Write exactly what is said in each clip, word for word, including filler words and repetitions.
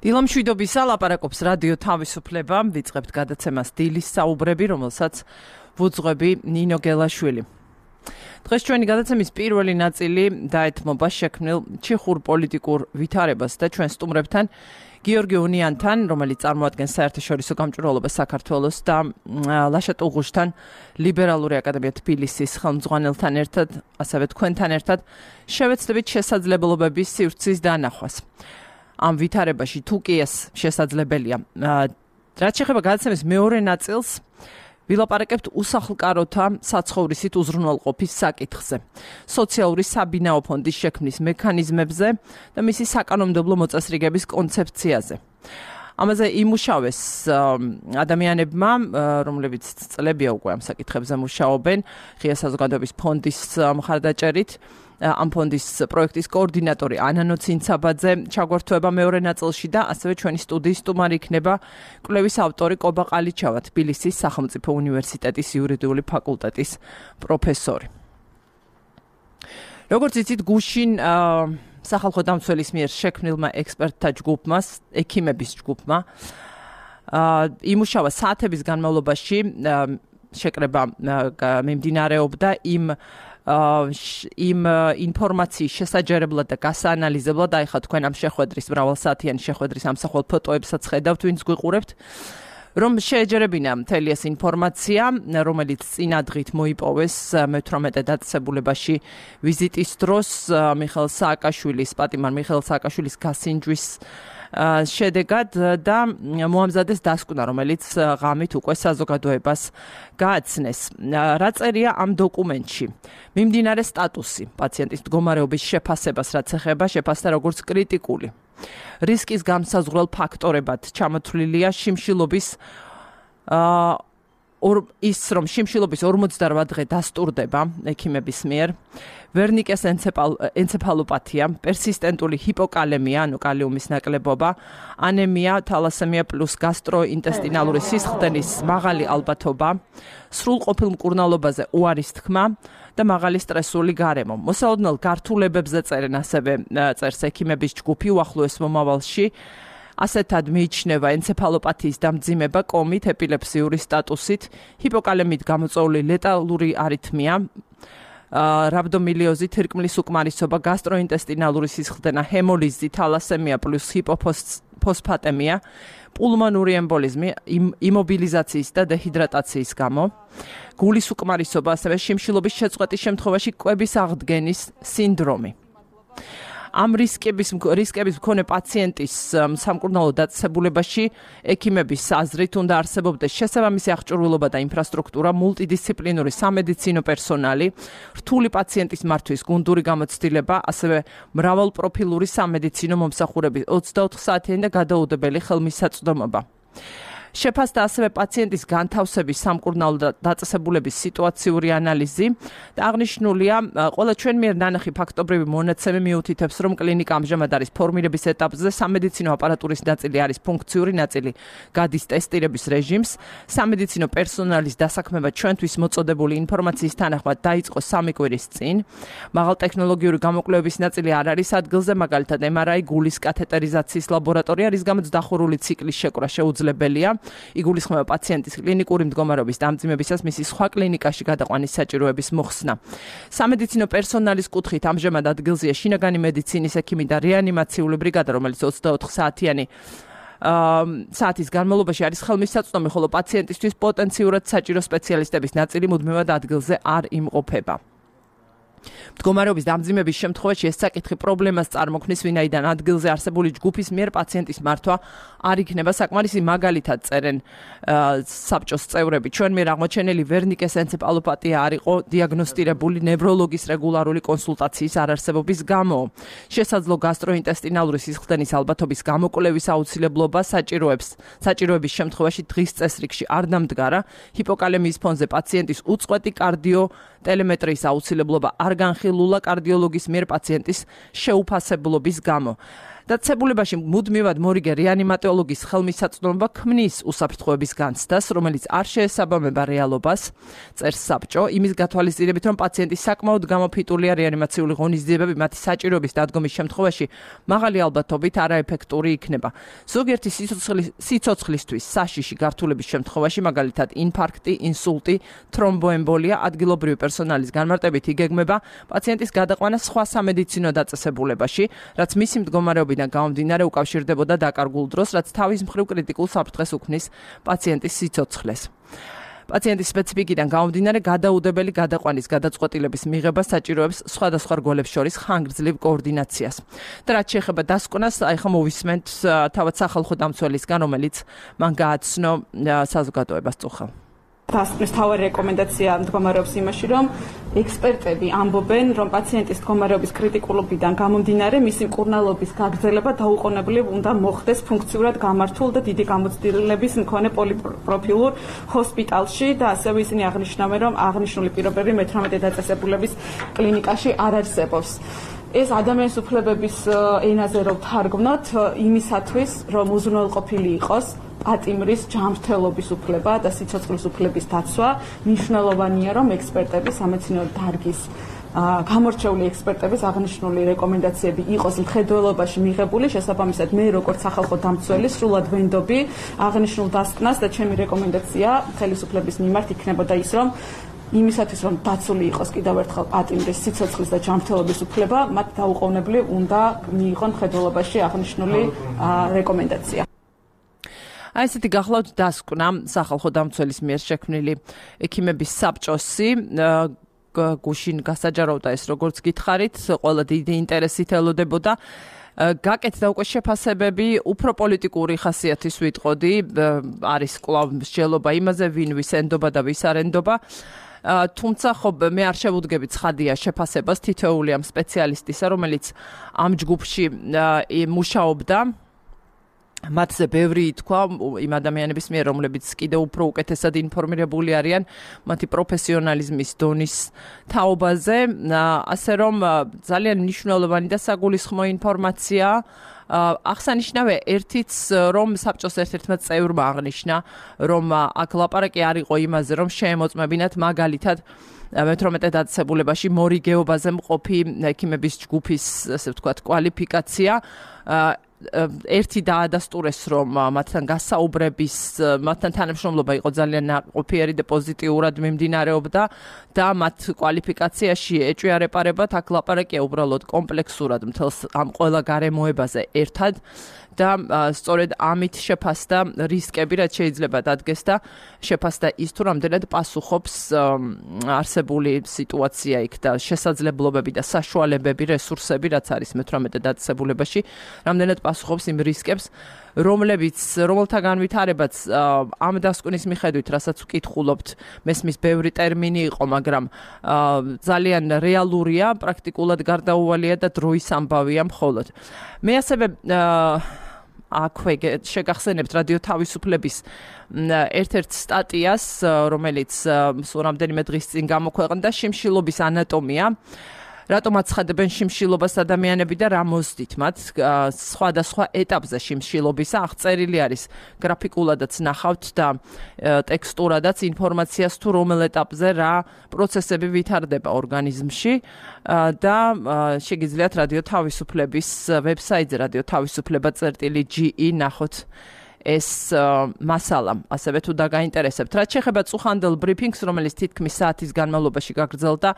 დილამშვიდობისა, ლაპარაკობს რადიო თავისუფლება, ვიწყებთ გადაცემას დილის საუბრები, რომელსაც ვუძღვები ნინო გელაშვილი. დღეს ჩვენი გადაცემის პირველი ნაწილი დაეთმობა შექმნილ ჩეხურ პოლიტიკურ ვითარებას და ჩვენ სტუმრებთან გიორგი უნიანთან, რომელიც წარმოადგენს საერთაშორისო გამჭვირვალობას საქართველოს და ლაშა ტუღუშთან, ლიბერალური აკადემია თბილისის ხელმძღვანელთან ერთად, ასევე თქვენთან ერთად შევეცდებით შესაძლებლობების სივრცის დანახვას. ამ ვითარებაში თუ კი ეს შესაძლებელია. რაც შეეხება გადაცემის მეორე ნაწილს, ვილაპარაკებთ უსახლკაროთა საცხოვრისით უზრუნველყოფის საკითხზე, სოციალური საბინაო ფონდის შექმნის მექანიზმებზე და მისი საკანონმდებლო მოწესრიგების კონცეფციაზე. ამაზე იმუშავეს ადამიანებმა, რომლებიც წლებია უკვე ამ საკითხებზე მუშაობენ, ღია საზოგადოების ფონდის მხარდაჭერით. ამ ფონდის პროექტის კოორდინატორი ანანო ცინცაბაძე ჩაგვერთვება მეორე ნაწილში და ასევე ჩვენი სტუდიის სტუმარი იქნება კვლევის ავტორი კობა ყალიჩავა, თბილისის სახელმწიფო უნივერსიტეტის იურიდიული ფაკულტეტის პროფესორი. როგორც იცით, გუშინ სახალხო დამცველის მიერ შექმნილმა ექსპერტთა ჯგუფმა, ექიმების ჯგუფმა იმუშავა საათების განმავლობაში, შეკრება მიმდინარეობდა იმ იმ ინფორმაციის შესაჯერებლად და გასაანალიზებლად, აი ხა თქვენ ამ შეხვედრის მრავალსაათიანი შეხვედრის ამსახველ ფოტოებსაც ხედავთ, ვინც გვიყურებთ, რომ შეეჯერებინა მთელი ეს ინფორმაცია, რომელიც წინა დღით მოიპოვეს მეთვრამეტე დაწესებულებაში ვიზიტის დროს მიხეილ სააკაშვილის, პატიმარ მიხეილ სააკაშვილის გასინჯვის შედეგად და მოამზადეს დასკვნა, რომელიც ღამით უკვე საზოგადოებას გააცნეს. რა წერია ამ დოკუმენტში? მიმდინარე სტატუსი, პაციენტის მდგომარეობის შეფასებას, რაც ეხება შეფასდა როგორც კრიტიკული. რისკის განსაზღვრელ ფაქტორებად ჩამოთვლილია შიმშილობის ის, რომ შიმშილობის ორმოცდარვა დღე დასტურდება ექიმების მიერ, ვერნიკეს ენცეფალოპათია, პერსისტენტული ჰიპოკალემია, ანუ კალიუმის ნაკლებობა, ანემია, თალასემია პლუს გასტროინტესტინალური სისხლდენის მაღალი ალბათობა, სრულყოფილ მკურნალობაზე უარის თქმა და მაღალი სტრესული გარემო. მოსალოდნელ გართულებებზე წერენ ასევე წერს ექიმების ჯგუფი უახლოეს მომავალში. ასეთად მიიჩნევა ენცეფალოპათიის დამძიმება კომით, ეპილეფსიური სტატუსით, ჰიპოკალემით გამოწვეული ლეტალური არითმია, რაბდომილიოზი, თირკმლის უკმარისობა, გასტროინტესტინალური სისხლდენა, ჰემოლიზი, თალასემია პლუს ჰიპოფოსფატემია, პულმონური ემბოლიზმი, იმობილიზაციის და დეჰიდრატაციის გამო, გულის უკმარისობა, ასევე შიმშილობის შეწყვეტის შემთხვევაში კვების აღდგენის სინდრომი. ამ რისკების რისკების მქონე პაციენტის სამკურნალო დაწესებულებაში ექიმების აზრით უნდა არსებობდეს შესაბამისი აღჭურვილობა და ინფრასტრუქტურა, მულტიდისციპლინური სამედიცინო პერსონალი, რთული პაციენტის მართვის გუნდური გამოცდილება, ასევე მრავალპროფილური სამედიცინო მომსახურების ოცდაოთხ საათიანი და გადაუდებელი ხელმისაწვდომობა. შეფასდა ასევე პაციენტის განთავსების სამკურნალო დაწესებულების სიტუაციური ანალიზი და აღნიშნულია, ყველა ჩვენ მიერ ნანახი ფაქტობრივი მონაცემი მიუთითებს, რომ კლინიკა ამჟამად არის ფორმირების ეტაპზე, სამედიცინო აპარატურის ნაწილი არის ფუნქციური ნაწილი, გადის ტესტირების რეჟიმს, სამედიცინო პერსონალის დასაქმება ჩვენთვის მოწოდებული ინფორმაციის თანახმად დაიწყო სამი კვირის წინ, მაღალტექნოლოგიური გამოკვლევების ნაწილი არ არის ადგილზე, მაგალითად ემ არ აი, გულის კათეტერიზაციის ლაბორატორია, რის გამოც დახურული ციკლის შეკვრა შეუძლებელია. იგულისხმება პაციენტის კლინიკური მდგომარეობის დამძიმებისას მისი სხვა კლინიკაში გადაყვანის საჭიროების მოხსნა. სამედიცინო პერსონალის კუთხით ამჟამად ადგილზეა შინაგანი მედიცინის ექიმი და რეანიმაციული ბრიგადა, რომელიც ოცდაოთხ საათიანი საათის განმავლობაში არის ხელმისაწვდომი, ხოლო პაციენტისთვის პოტენციურად საჭირო სპეციალისტების ნაწილი მუდმივად ადგილზე არ იმყოფება. მდგომარეობის დამძიმების შემთხვევაში ეს საკითხი პრობლემას წარმოქმნის, ვინაიდან ადგილზე არსებული ჯგუფის მიერ პაციენტის მართვა არ იქნება საკმარისი. მაგალითად წერენ საბჭოს წევრები, ჩვენ მიერ აღმოჩენილი ვერნიკეს ენცეფალოპათია არ იყო დიაგნოსტირებული ნევროლოგის რეგულარული კონსულტაციის არარსებობის გამო. შესაძლო გასტროინტესტინალური სისხლდენის ალბათობის გამოკვლევის აუცილებლობა საჭიროებს საჭიროების შემთხვევაში დღის წესრიგში არ დამდგარა. ჰიპოკალემიის ფონზე პაციენტის უწყვეტი კარდიო ტელემეტრიის აუცილებლობა არ განხილულა კარდიოლოგის მიერ პაციენტის შეუფასებლობის გამო. დაწესებულებაში მუდმივად მორიგე რეანიმატოლოგის ხელმისაწვდომობა ქმნის უსაფრთხოების განცდას, რომელიც არ შეესაბამება რეალობას, წერს საბჭო, იმის გათვალისწინებით, რომ პაციენტი საკმაოდ გამოფიტულია რეანიმაციული ღონისძიებები მათი საჭიროების დადგომის შემთხვევაში მაღალი ალბათობით არაეფექტური იქნება. ზოგიერთი სიცოცხლისთვის საშიში გართულების შემთხვევაში, მაგალითად ინფარქტი, ინსულტი, თრომბოემბოლია, ადგილობრივი პერსონალის განმარტებით იგეგმება პაციენტის გადაყვანა სხვა სამედიცინო დაწესებულებაში, რაც მისი მდგომარეობიდან გამომდინარე უკავშირდებოდა დაკარგულ დროს, რაც თავის მხრივ კრიტიკულ საფრთხეს უქმნის პაციენტის სიცოცხლეს. პაციენტის სპეციფიკიდან გამომდინარე გადაუდებელი გადაყვანის გადაწყვეტილების მიღება საჭიროებს სხვადასხვა რგოლებს შორის ხანგრძლივ კოორდინაციას. და რაც შეეხება დასკვნას, აი ხა მოვისმენთ თავად სახალხო დამცველისგან, რომელიც მან გააცნო საზოგადოებას წუხელ. დასკვნის თავი რეკომენდაცია მდგომარეობს იმაში, რომ ექსპერტები ამბობენ, რომ პაციენტის მდგომარეობის კრიტიკულობიდან გამომდინარე, მისი მკურნალობის გაგრძელება დაუყოვნებლივ უნდა მოხდეს ფუნქციურად გამართულ და დიდი გამოცდილების მქონე პოლიპროფილურ ჰოსპიტალში და ასევე ისინი აღნიშნავენ, რომ აღნიშნული პირობები მეთვრამეტე დაწესებულების კლინიკაში არ არსებობს. ეს ადამიანის უფლებების ენაზე რომ თარგმნოთ, იმისათვის, რომ უზრუნველყოფილი იყოს პატიმრის ჯანმრთელობის უფლება და სიცოცხლის უფლების დაცვა, მნიშვნელოვანია, რომ ექსპერტები სამეცნიერო დარგის გამორჩეული ექსპერტების აღნიშნული რეკომენდაციები იყოს მხედველობაში მიღებული, შესაბამისად მე როგორც სახალხო დამცველი სრულად ვენდობი აღნიშნულ დასკვნას და ჩემი რეკომენდაცია ხელისუფლების მიმართ იქნებოდა ის, რომ იმისათვის, რომ დაცული იყოს კიდევ ერთხელ პატიმრის სიცოცხლის და ჯანმრთელობის უფლება, მათ დაუყოვნებლივ უნდა მიიღონ მხედველობაში აღნიშნული რეკომენდაცია. აი ესეთი გახლავთ დასკვნა სახალხო დამცველის მიერ შექმნილი ექიმების საბჭოსი გუშინ გასაჯაროვდა ეს როგორც გითხარით, ყველა დიდი ინტერესით ელოდებოდა. გაკეთდა უკვე შეფასებები, უფრო პოლიტიკური ხასიათის ვიტყოდი, არის კვლავ მსჯელობა იმაზე, ვინ ვის ენდობა და ვის არ ენდობა. თუმცა ხო მე არ შევუდგები ცხადია შეფასებას თითოეული ამ სპეციალისტისა, რომელიც ამ ჯგუფში მუშაობდა. მათზე ბევრი ითქვა იმ ადამიანების მიერ, რომლებიც კიდევ უფრო უკეთესად ინფორმირებული არიან მათი პროფესიონალიზმის დონის თაობაზე, ასე რომ ძალიან მნიშვნელოვანი და საგულისხმო ინფორმაცია. აღსანიშნავია ერთიც, რომ საბჭოს ერთ-ერთმა წევრმა აღნიშნა, რომ აქ ლაპარაკი არ იყო იმაზე, რომ შეემოწმებინათ მაგალითად მეთვრამეტე დაწესებულებაში მორიგეობაზე მყოფი ექიმების ჯგუფის, ასე ვთქვათ, კვალიფიკაცია. ერთი დაადასტურეს, რომ მათთან გასაუბრების, მათთან თანამშრომლობა იყო ძალიან ნაყოფიერი და პოზიტიურად მიმდინარეობდა და მათ კვალიფიკაციაში ეჭვიარეპარებათ, აქ ლაპარაკია უბრალოდ კომპლექსურად მთელს ამ ყველა გარემოებაზე ერთად და სწორედ ამით შეფასდა რისკები, რაც შეიძლება დადგეს და შეფასდა ის, თუ რამდენად პასუხობს არსებული სიტუაცია იქ და შესაძლებლობები და საშუალებები, რესურსები, რაც არის მეთვრამეტე დაწესებულებაში, რამდენად პასუხობს იმ რისკებს, რომლებიც, რომელთა განვითარებაც ამ დასკვნის მიხედვით, რასაც ვკითხულობთ, მესმის ბევრი ტერმინი იყო, მაგრამ ძალიან რეალურია, პრაქტიკულად გარდაუვალია და დროის ამბავია მხოლოდ. მე ასევე აქვე შეგახსენებთ რადიო თავისუფლების ერთ-ერთ სტატიას, რომელიც სულ რამდენიმე დღის წინ გამოქვეყნდა, შიმშილობის ანატომია. რატომ აცხადებენ შიმშილობას ადამიანები და რა მოსდით მათ სხვადასხვა ეტაპზე შიმშილობისა, აღწერილი არის გრაფიკულადაც ნახავთ და ტექსტურადაც ინფორმაციას თუ რომელ ეტაპზე რა პროცესები ვითარდება ორგანიზმში და შეგიძლიათ რადიო თავისუფლების ვებსაიტზე რადიო თავისუფლება წერტილი ჯი ი ნახოთ ეს მასალა, ასევე თუ დაგაინტერესებთ. რაც შეეხება წუხანდელ ბრიფინგს, რომელიც თითქმის საათის განმავლობაში გაგრძელდა,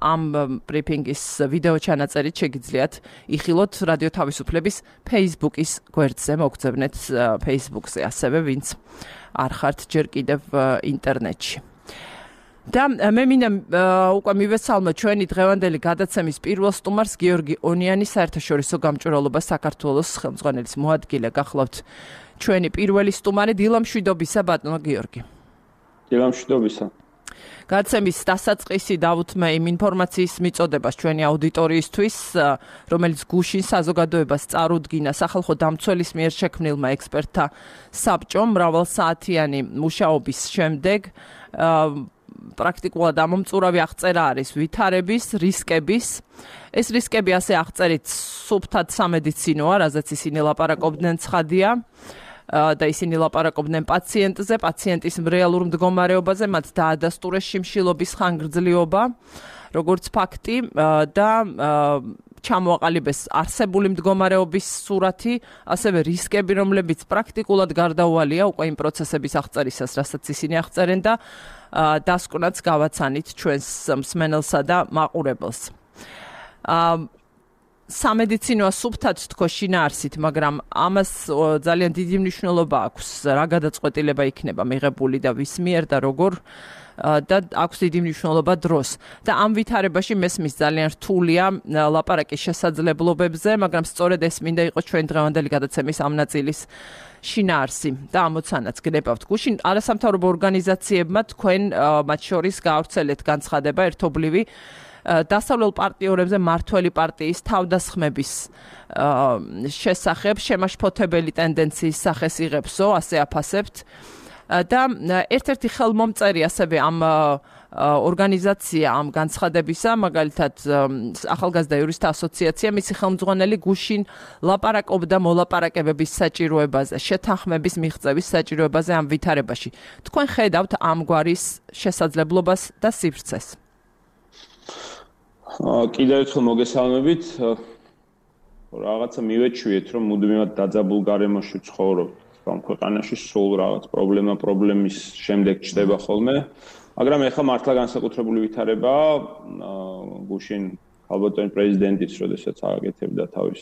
ამ ბრიფინგის ვიდეო ჩანაწერით შეგიძლიათ იხილოთ რადიო თავისუფლების Facebook-ის გვერდზე, მოგწებნეთ Facebook-ზე, ასევე ვინც არ ხართ ჯერ კიდევ ინტერნეტში. და მე მინდა უკვე მივესალმო ჩვენი დღევანდელი გადაცემის პირველ სტუმარს, გიორგი ონიანი, საერთაშორისო გამჭვირვალობა საქართველოს ხელმძღვანელის მოადგილე. გახლავთ ჩვენი პირველი სტუმარი. დილამშვიდობისა, ბატონო გიორგი. დილამშვიდობისა. გადაცემის დასაწყისი დავუთმე იმ ინფორმაციის მიწოდებას ჩვენი აუდიტორიისთვის, რომელიც გუშინ საზოგადოებას წარუდგინა სახალხო დამცველის მიერ შექმნილმა ექსპერტთა საბჭომ მრავალსაათიანი მუშაობის შემდეგ. პრაქტიკულად ამომწურავი აღწერა არის ვითარების, რისკების. ეს რისკები ასე აღწერით სუფთად სამედიცინოა, რაზეც ისინი ლაპარაკობდნენ ცხადია და ისინი ლაპარაკობდნენ პაციენტზე, პაციენტის რეალურ მდგომარეობაზე, მათ დაადასტურეს შიმშილობის ხანგრძლივობა, როგორც ფაქტი და ჩამოაყალიბეს არსებული მდგომარეობის სურათი, ასევე რისკები, რომლებიც პრაქტიკულად გარდაუვალია უკვე იმ პროცესების აღწერისას, რასაც ისინი აღწერენ და დასკვნაც გავაცანით ჩვენს მსმენელსა და მაყურებელს. სამედიცინოა სუფთად თქო შინაარსით, მაგრამ ამას ძალიან დიდი მნიშვნელობა აქვს, რა გადაწყვეტილება იქნება მიღებული და ვის მიერ და როგორ და აქვს დიდი მნიშვნელობა დროს. და ამ ვითარებაში მესმის ძალიან რთულია ლაპარაკის შესაძლებლობებზე, მაგრამ სწორედ ეს მინდა იყოს ჩვენ დღევანდელი გადაცემის ამ ნაწილის შინაარსი და ამოცანაც გნებავთ. გუშინ არასამთავრობო ორგანიზაციებმა თქვენ მათ შორის გაავრცელეთ განცხადება ერთობლივი დასავლელ პარტიორებზე მართველი პარტიის თავდასხმების შესახებ შემაშფოთებელი ტენდენციის სახეს იღებსო, ასე აფასებთ. და ერთ-ერთი ხელმომწერი ასევე ამ ორგანიზაცია ამ განცხადებისა, მაგალითად ახალგაზრდა იურისტთა ასოციაცია, მისი ხელმძღვანელი გუშინ ლაპარაკობდა მოლაპარაკებების საჭიროებაზე, შეთანხმების მიღწევის საჭიროებაზე ამ ვითარებაში. თქვენ ხედავთ ამგვარის შესაძლებლობას და სივრცეს? კიდევ ერთხელ მოგესალმებით. რაღაცა მივეჩვიეთ, რომ მუდმივად დაძაბულ გარემოში ცხოვრობთ. ამ ქვეყანაში სულ რაღაც პრობლემა პრობლემის შემდეგ ჩდება ხოლმე, მაგრამ ეხლა მართლა განსაკუთრებული ვითარებაა. გუშინ ალბათონ პრეზიდენტიც, როდესაც აკეთებდა თავის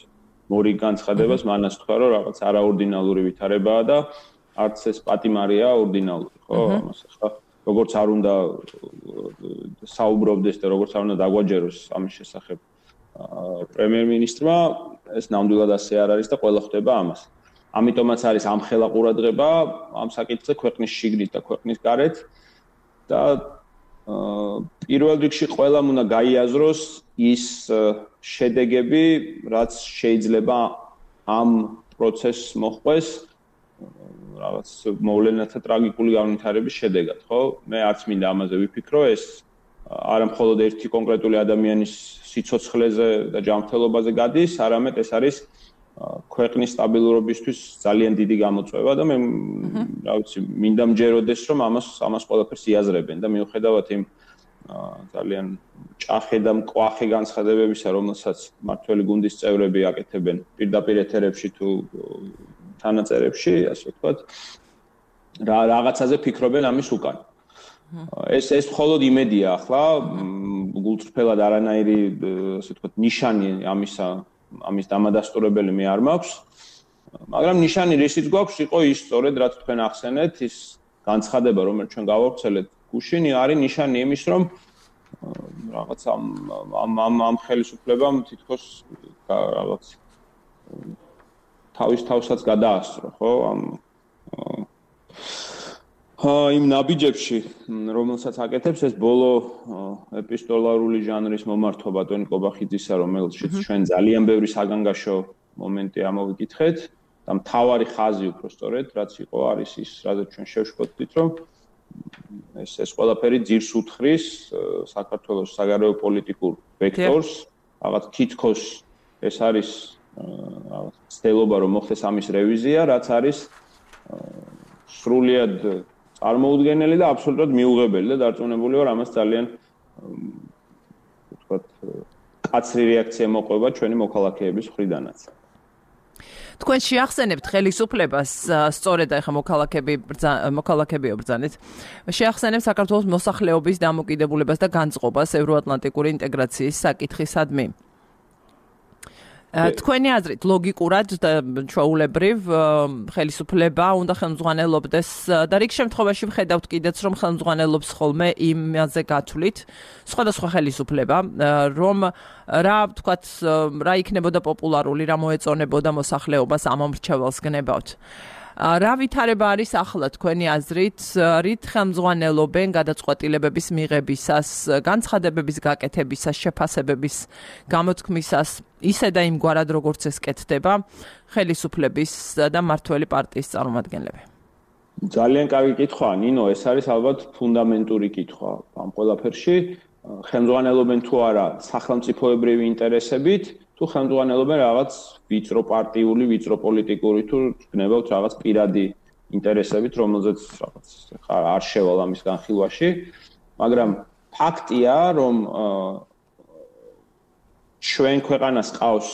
მორი განცხადებას, მანაც თქვა, რომ რაღაც არაორდინალური ვითარებაა და არც ეს პატიმარია ორდინალური, ხო? ამას ახლა როგორც არ უნდა საუბრობდეს და როგორც არ უნდა დაგვაჯეროს ამის შესახებ პრემიერ-მინისტრმა, ეს ნამდვილად ასე არ არის და ყველა ხვდება ამას. ამიტომაც არის ამხელა ყურადღება ამ საკითხზე ქვეყნის შიგნით და ქვეყნის გარეთ და პირველ რიგში ყველამ უნდა გაიაზროს ის შედეგები, რაც შეიძლება ამ პროცესს მოჰყვეს რაღაც მოვლენათა ტრაგიკული განვითარების შედეგად, ხო? მე არც მინდა ამაზე ვიფიქრო, ეს არა მხოლოდ ერთი კონკრეტული ადამიანის სიცოცხლეზე და ჯანმრთელობაზე გადის, არამედ ეს არის ქვეყნის სტაბილურობისთვის ძალიან დიდი გამოწვევა და მე რა ვიცი, მინდა მჯეროდეს, რომ ამას ამას ყველაფერს იაზრებენ და მიუხედავად იმ ძალიან ჭახე და მკვახე განცხადებებისა, რომელსაც მართველი გუნდის წევრები აკეთებენ პირდაპირ ეთერებში თუ თანაწერებში, ასე ვთქვათ, რა რაღაცაზე ფიქრობენ ამის უკან. ეს ეს მხოლოდ იმედია ახლა, გულწრფელად არანაირი, ასე ვთქვათ, ნიშანი ამისა ამის დამადასტურებელი მე არ მაქვს, მაგრამ ნიშანი რისიც გვაქვს, იყო ის სწორედ რაც თქვენ ახსენეთ, ის განცხადება, რომელიც ჩვენ გავავრცელეთ გუშინი, არის ნიშანი იმის, რომ რაღაც ამ ამ ამ ხელისუფლებამ თითქოს რაღაც თავის თავსაც გადაასწრო, ხო? ამ იმ ნაბიჯებში, რომელსაც აკეთებს ეს ბოლო ეპისტოლარული ჟანრის მომართვა ტონი კობახიძისა, რომელშიც ჩვენ ძალიან ბევრი საგანგაშო მომენტი ამოვიკითხეთ და მთავარი ხაზი უფრო სწორედ, რაც იყო არის ის, რაზეც ჩვენ შევშფოთდით, რომ ეს ეს ყველაფერი ძირს უთხრის საქართველოს საგარეო პოლიტიკურ ვექტორს, რაღაც თითქოს ეს არის რაღაც ცდელობა, რომ მოხდეს ამის რევიზია, რაც არის სრულიად წარმოუდგენელი და აბსოლუტურად მიუღებელი და დარწმუნებული ვარ, ამას ძალიან ვთქვათ, კაცრი რეაქცია მოყვება ჩვენი მოქალაქეების მხრიდანაც. თქვენ შეახსენებთ ხელისუფლებას, სწორედ ახლა მოქალაქეები მოქალაქეებიო ბრძანეთ. შეახსენებთ საქართველოს მოსახლეობის დამოკიდებულებას და განწყობას ევროატლანტიკური ინტეგრაციის საკითხისადმი. თქვენი აზრით ლოგიკურად და ჩვეულებრივ ხელისუფლება უნდა ხელმძღვანელობდეს და რიგ შემთხვევაში ვხედავთ კიდეც რომ ხელმძღვანელობს ხოლმე იმაზე გათვლით სხვადასხვა ხელისუფლება რომ რა ვთქვათ რა იქნებოდა პოპულარული რა მოეწონებოდა მოსახლეობას ამ მომრჩეველს გნებავთ რა ვითარება არის ახლა თქვენი აზრით რით ხელმძღვანელობენ გადაწყვეტილებების მიღებისას განცხადებების გაკეთებისას შეფასებების გამოთქმისას ისე და იმგვარად როგორც ეს კეთდება ხელისუფლების და მართველი პარტიის წარმომადგენლები ძალიან კარგი კითხვაა, ნინო, ეს არის ალბათ ფუნდამენტური კითხვა ამ ყველაფერში. ხელმძღვანელობენ თუ არა სახელმწიფოებრივი ინტერესებით, თუ ხელმძღვანელობენ რაღაც ვიწრო პარტიული, ვიწრო პოლიტიკური თუ გნებავთ რაღაც პირადი ინტერესებით, რომელზეც რაღაც არ შევალ ამის განხილვაში, მაგრამ ფაქტია, რომ ჩვენ ქვეყანას ყავს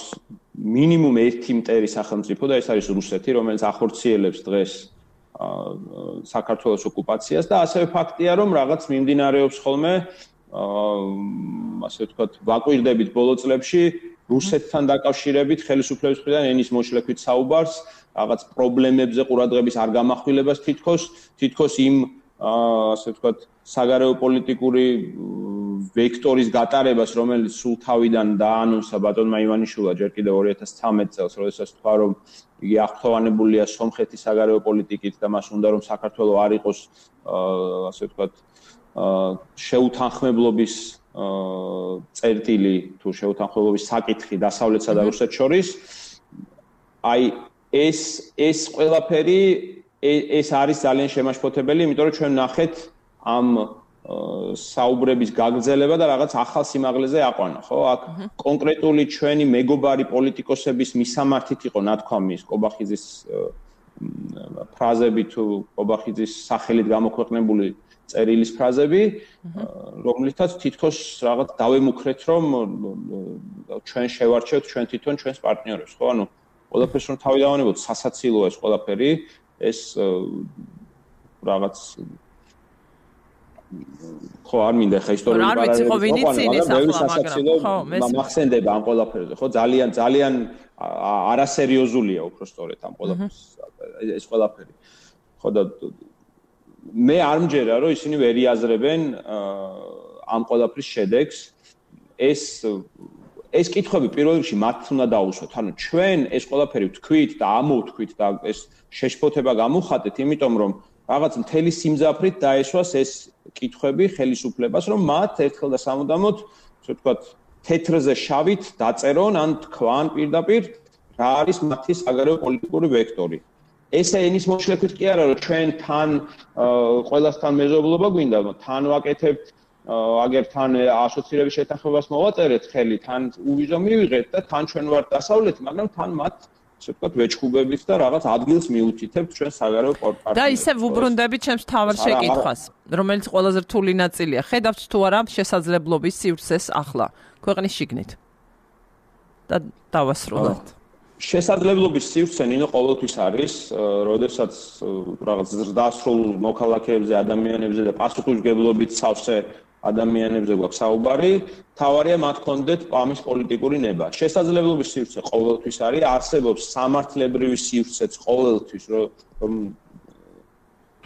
მინიმუმ ერთი მტერი სახელმწიფო და ეს არის რუსეთი, რომელიც ახორციელებს დღეს საქართველოს ოკუპაციას და ასევე ფაქტია, რომ რაღაც მიმდინარეობს ხოლმე ასე ვთქვათ, ვაკვირდებით ბოლო წლებში რუსეთთან დაკავშირებით ხელისუფლების მხრიდან ენის მოშლექვით საუბარს, რაღაც პრობლემებზე ყურადღების არ გამახვილებას თითქოს, თითქოს იმ ასე ვთქვათ, საგარეო პოლიტიკური ვექტორის გატარებას, რომელიც სულ თავიდან დაანონსა ბატონმა ივანიშვილმა ჯერ კიდევ ორი ათას ცხრამეტ წელს, როდესაც თქვა, რომ იგი აღფრთოვანებულია სომხეთის საგარეო პოლიტიკით და მას უნდა რომ საქართველოს არ იყოს ასე ვთქვათ, შეუთანხმებლობის წერტილი თუ შეუთანხმებლობის საკითხი დასავლეთსა და რუსეთს შორის. აი ეს ეს ყველაფერი ეს არის ძალიან შემაშფოთებელი, იმიტომ რომ ჩვენ ნახეთ ამ საუბრების გაგრძელება და რაღაც ახალ სიმაღლეზე აყვანა, ხო? აქ კონკრეტული ჩვენი მეგობარი პოლიტიკოსების მისამართით იყო ნათქვამის კობახიძის ფრაზები თუ კობახიძის სახელით გამოქვეყნებული წერილის ფრაზები, რომლითაც თითქოს რაღაც დავემუქრეთ, რომ ჩვენ შევარჩევთ ჩვენ თვითონ ჩვენს პარტნიორებს, ხო? ანუ ყველაფერს რომ თავი დავანებოთ, სასაცილოა ეს ყველაფერი, ეს რაღაც ხო არ მინდა ხა ისტორიული პარალელები მაგრამ მახსენდება ამ ყველაფერზე, ხო? ძალიან ძალიან არასერიოზულია უბრალოდ ამ ყველაფერს ეს ყველაფერი. ხო და მე არ მჯერა რომ ისინი ვერ იაზრებენ ამ ყველაფრის შედეგს. ეს ეს კითხვები პირველ რიგში მათ უნდა დაუსვათ. ანუ ჩვენ ეს ყველაფერი ვთქვით და ამოვთქვით და ეს შეშფოთება გამოვხატეთ, იმიტომ რომ რაღაც მთელი სიმძაფრით დაესვას ეს კითხვები ხელისუფლებას, რომ მათ ერთხელ და სამუდამოდ, ასე ვთქვათ, თეთრზე შავით დაწერონ ან თქვან პირდაპირ რა არის მათი საგარეო პოლიტიკური ვექტორი. ესე ენის მოშლექვით კი არა, რომ ჩვენ თან ყველასთან მეზობლობა გვინდა, თან ვაკეთებთ, აგერ თან ასოცირების შეთანხმებას მოვაწერეთ ხელი, თან უვიზო მივიღეთ და თან ჩვენ ვართ დასავლეთი, მაგრამ თან მათ ასე ვთქვათ, ვეჭხუბებით და რაღაც ადგილს მიუთითებთ ჩვენ საგარეო პარტნიორებს. და ისე ვუბრუნდებით ჩემს თავარ შეკითხვას, რომელიც ყველაზე რთული ნაწილია. ხედავთ თუ არა შესაძლებლობის სივრცეს ახლა ქვეყნის შიგნით? და დავასრულოთ. შესაძლებლობის სივრცე ნინო ყოველთვის არის, როდესაც რაღაც ზრდასრულ მოქალაქეებზე, ადამიანებზე და პასუხისმგებლობით სავსე ადამიანებზე გვაქვს საუბარი, თავარია მათ კონდეთ ამის პოლიტიკური ნება. შესაძლებლობის სივრცე ყოველთვის არის, არსებობს სამართლებრივი სივრცეც ყოველთვის, რომ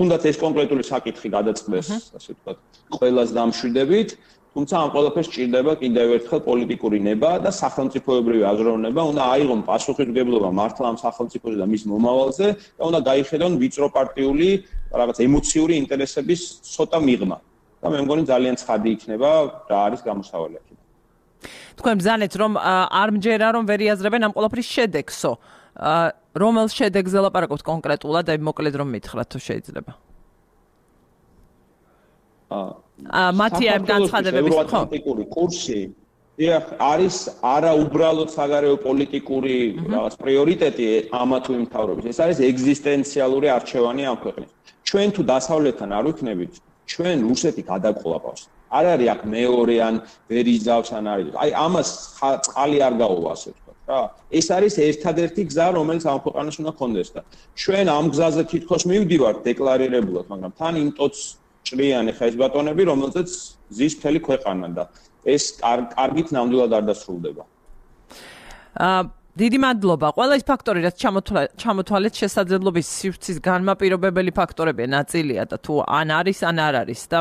თუნდაც ეს კონკრეტული საკითხი გადაწყდეს, ასე ვთქვათ, ყველას დამშვიდებით, თუმცა ამ ყველაფერს სჭირდება კიდევ ერთხელ პოლიტიკური ნება და სახელმწიფოებრივი აზროვნება, უნდა აიღონ პასუხისმგებლობა მართლა ამ სახელმწიფოზე და მის მომავალზე და უნდა გაიხედონ ვიწრო პარტიული, რაღაც ემოციური ინტერესების ცოტა მიღმა. და მე მგონი ძალიან ცხადი იქნება რა არის გამოსავალი აქედან. თქვენ ბრძანეთ რომ არ მჯერა რომ ვერ იაზრებენ ამ ყველაფრის შედეგსო. რომელ შედეგზე ლაპარაკობთ კონკრეტულად და მოკლედ რომ მითხრათ თუ შეიძლება. აა მათი ამ განცხადებების პოლიტიკური კურსი დიახ არის არა უბრალოდ საგარეო პოლიტიკური რაღაც პრიორიტეტი ამა თუ იმ მთავრობის. ეს არის ეგზისტენციალური არჩევანი ამ ქვეყნის. ჩვენ თუ დასავლეთთან არ ვიქნებით ჩვენ რუსეთი გადაყოლაპავს. არ არის აქ მეორე ან ვერ იზავს ან არის. აი ამას წყალი არ გაუვა ასე ვთქვათ რა. ეს არის ერთადერთი გზა, რომელიც ამ ქვეყანას უნდა კონდეს და ჩვენ ამ გზაზე თითქოს მივდივართ დეკლარირებულად, მაგრამ თან იმ ტოც ჭრიანი ხა ეს ბატონები, რომელზეც ზის მთელი ქვეყანა და ეს კარგით ნამდვილად არ დასრულდება. აა დიდი მადლობა. ყველა ის ფაქტორი, რაც ჩამოთვალეთ შესაძლებლობის სივრცის განმაპირობებელი ფაქტორებია, ნაწილია და თუ ან არის, ან არ არის და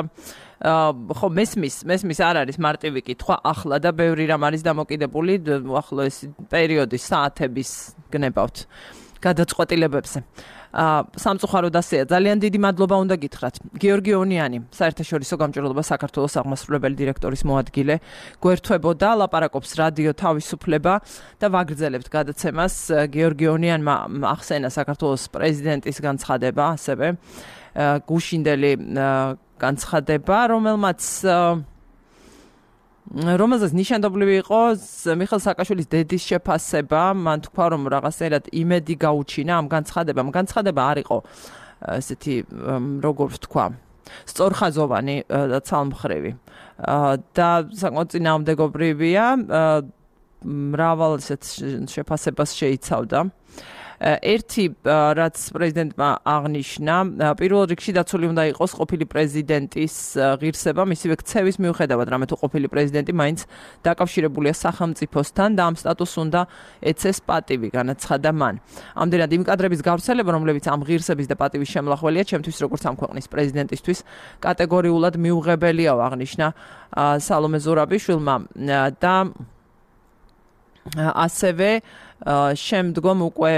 ხო მესმის, მესმის არ არის მარტივი კითხვა ახლა და ბევრი რამ არის დამოკიდებული ახლო ეს პერიოდის, საათების გნებავთ გადაწყვეტილებებზე. სამწუხაროდ ასეა. ძალიან დიდი მადლობა უნდა გითხრათ. გიორგი ონიანი, საერთაშორისო გამჭირვალობა საქართველოს აღმასრულებელი დირექტორის მოადგილე, გვერდთვებოდა, ლაპარაკობს რადიო თავისუფლება და ვაგრძელებთ გადაცემას. გიორგი ონიანმა ახსენა საქართველოს პრეზიდენტის განცხადება, ასევე გუშინდელი განცხადება, რომელმაც რომელზეც ნიშანდობლივი იყო მიხეილ სააკაშვილის დედის შეფასება, მან თქვა, რომ რაღაცნაირად იმედი გაუჩინა ამ განცხადებამ. განცხადება არ იყო ესეთი, როგორ ვთქვა, სწორხაზოვანი და ცალმხრივი. და საკმაოდ წინააღმდეგობრივია, მრავალ ესეთ შეფასებას შეიცავდა. ერთი რაც პრეზიდენტმა აღნიშნა, პირველ რიგში დაცული უნდა იყოს ყოფილი პრეზიდენტის ღირსება, მისივე ქცევის მიუხედავად, რამე თუ ყოფილი პრეზიდენტი მაინც დაკავშირებულია სახელმწიფოსთან და ამ სტატუსს უნდა ეცეს პატივი, განაცხადა მან. ამდენად იმ კადრების გავრცელება, რომლებიც ამ ღირსების და პატივის შემლახველია, ჩემთვის როგორც ამ ქვეყნის პრეზიდენტისთვის კატეგორიულად მიუღებელია, აღნიშნა სალომე ზურაბიშვილმა და ასევე შემდგომ უკვე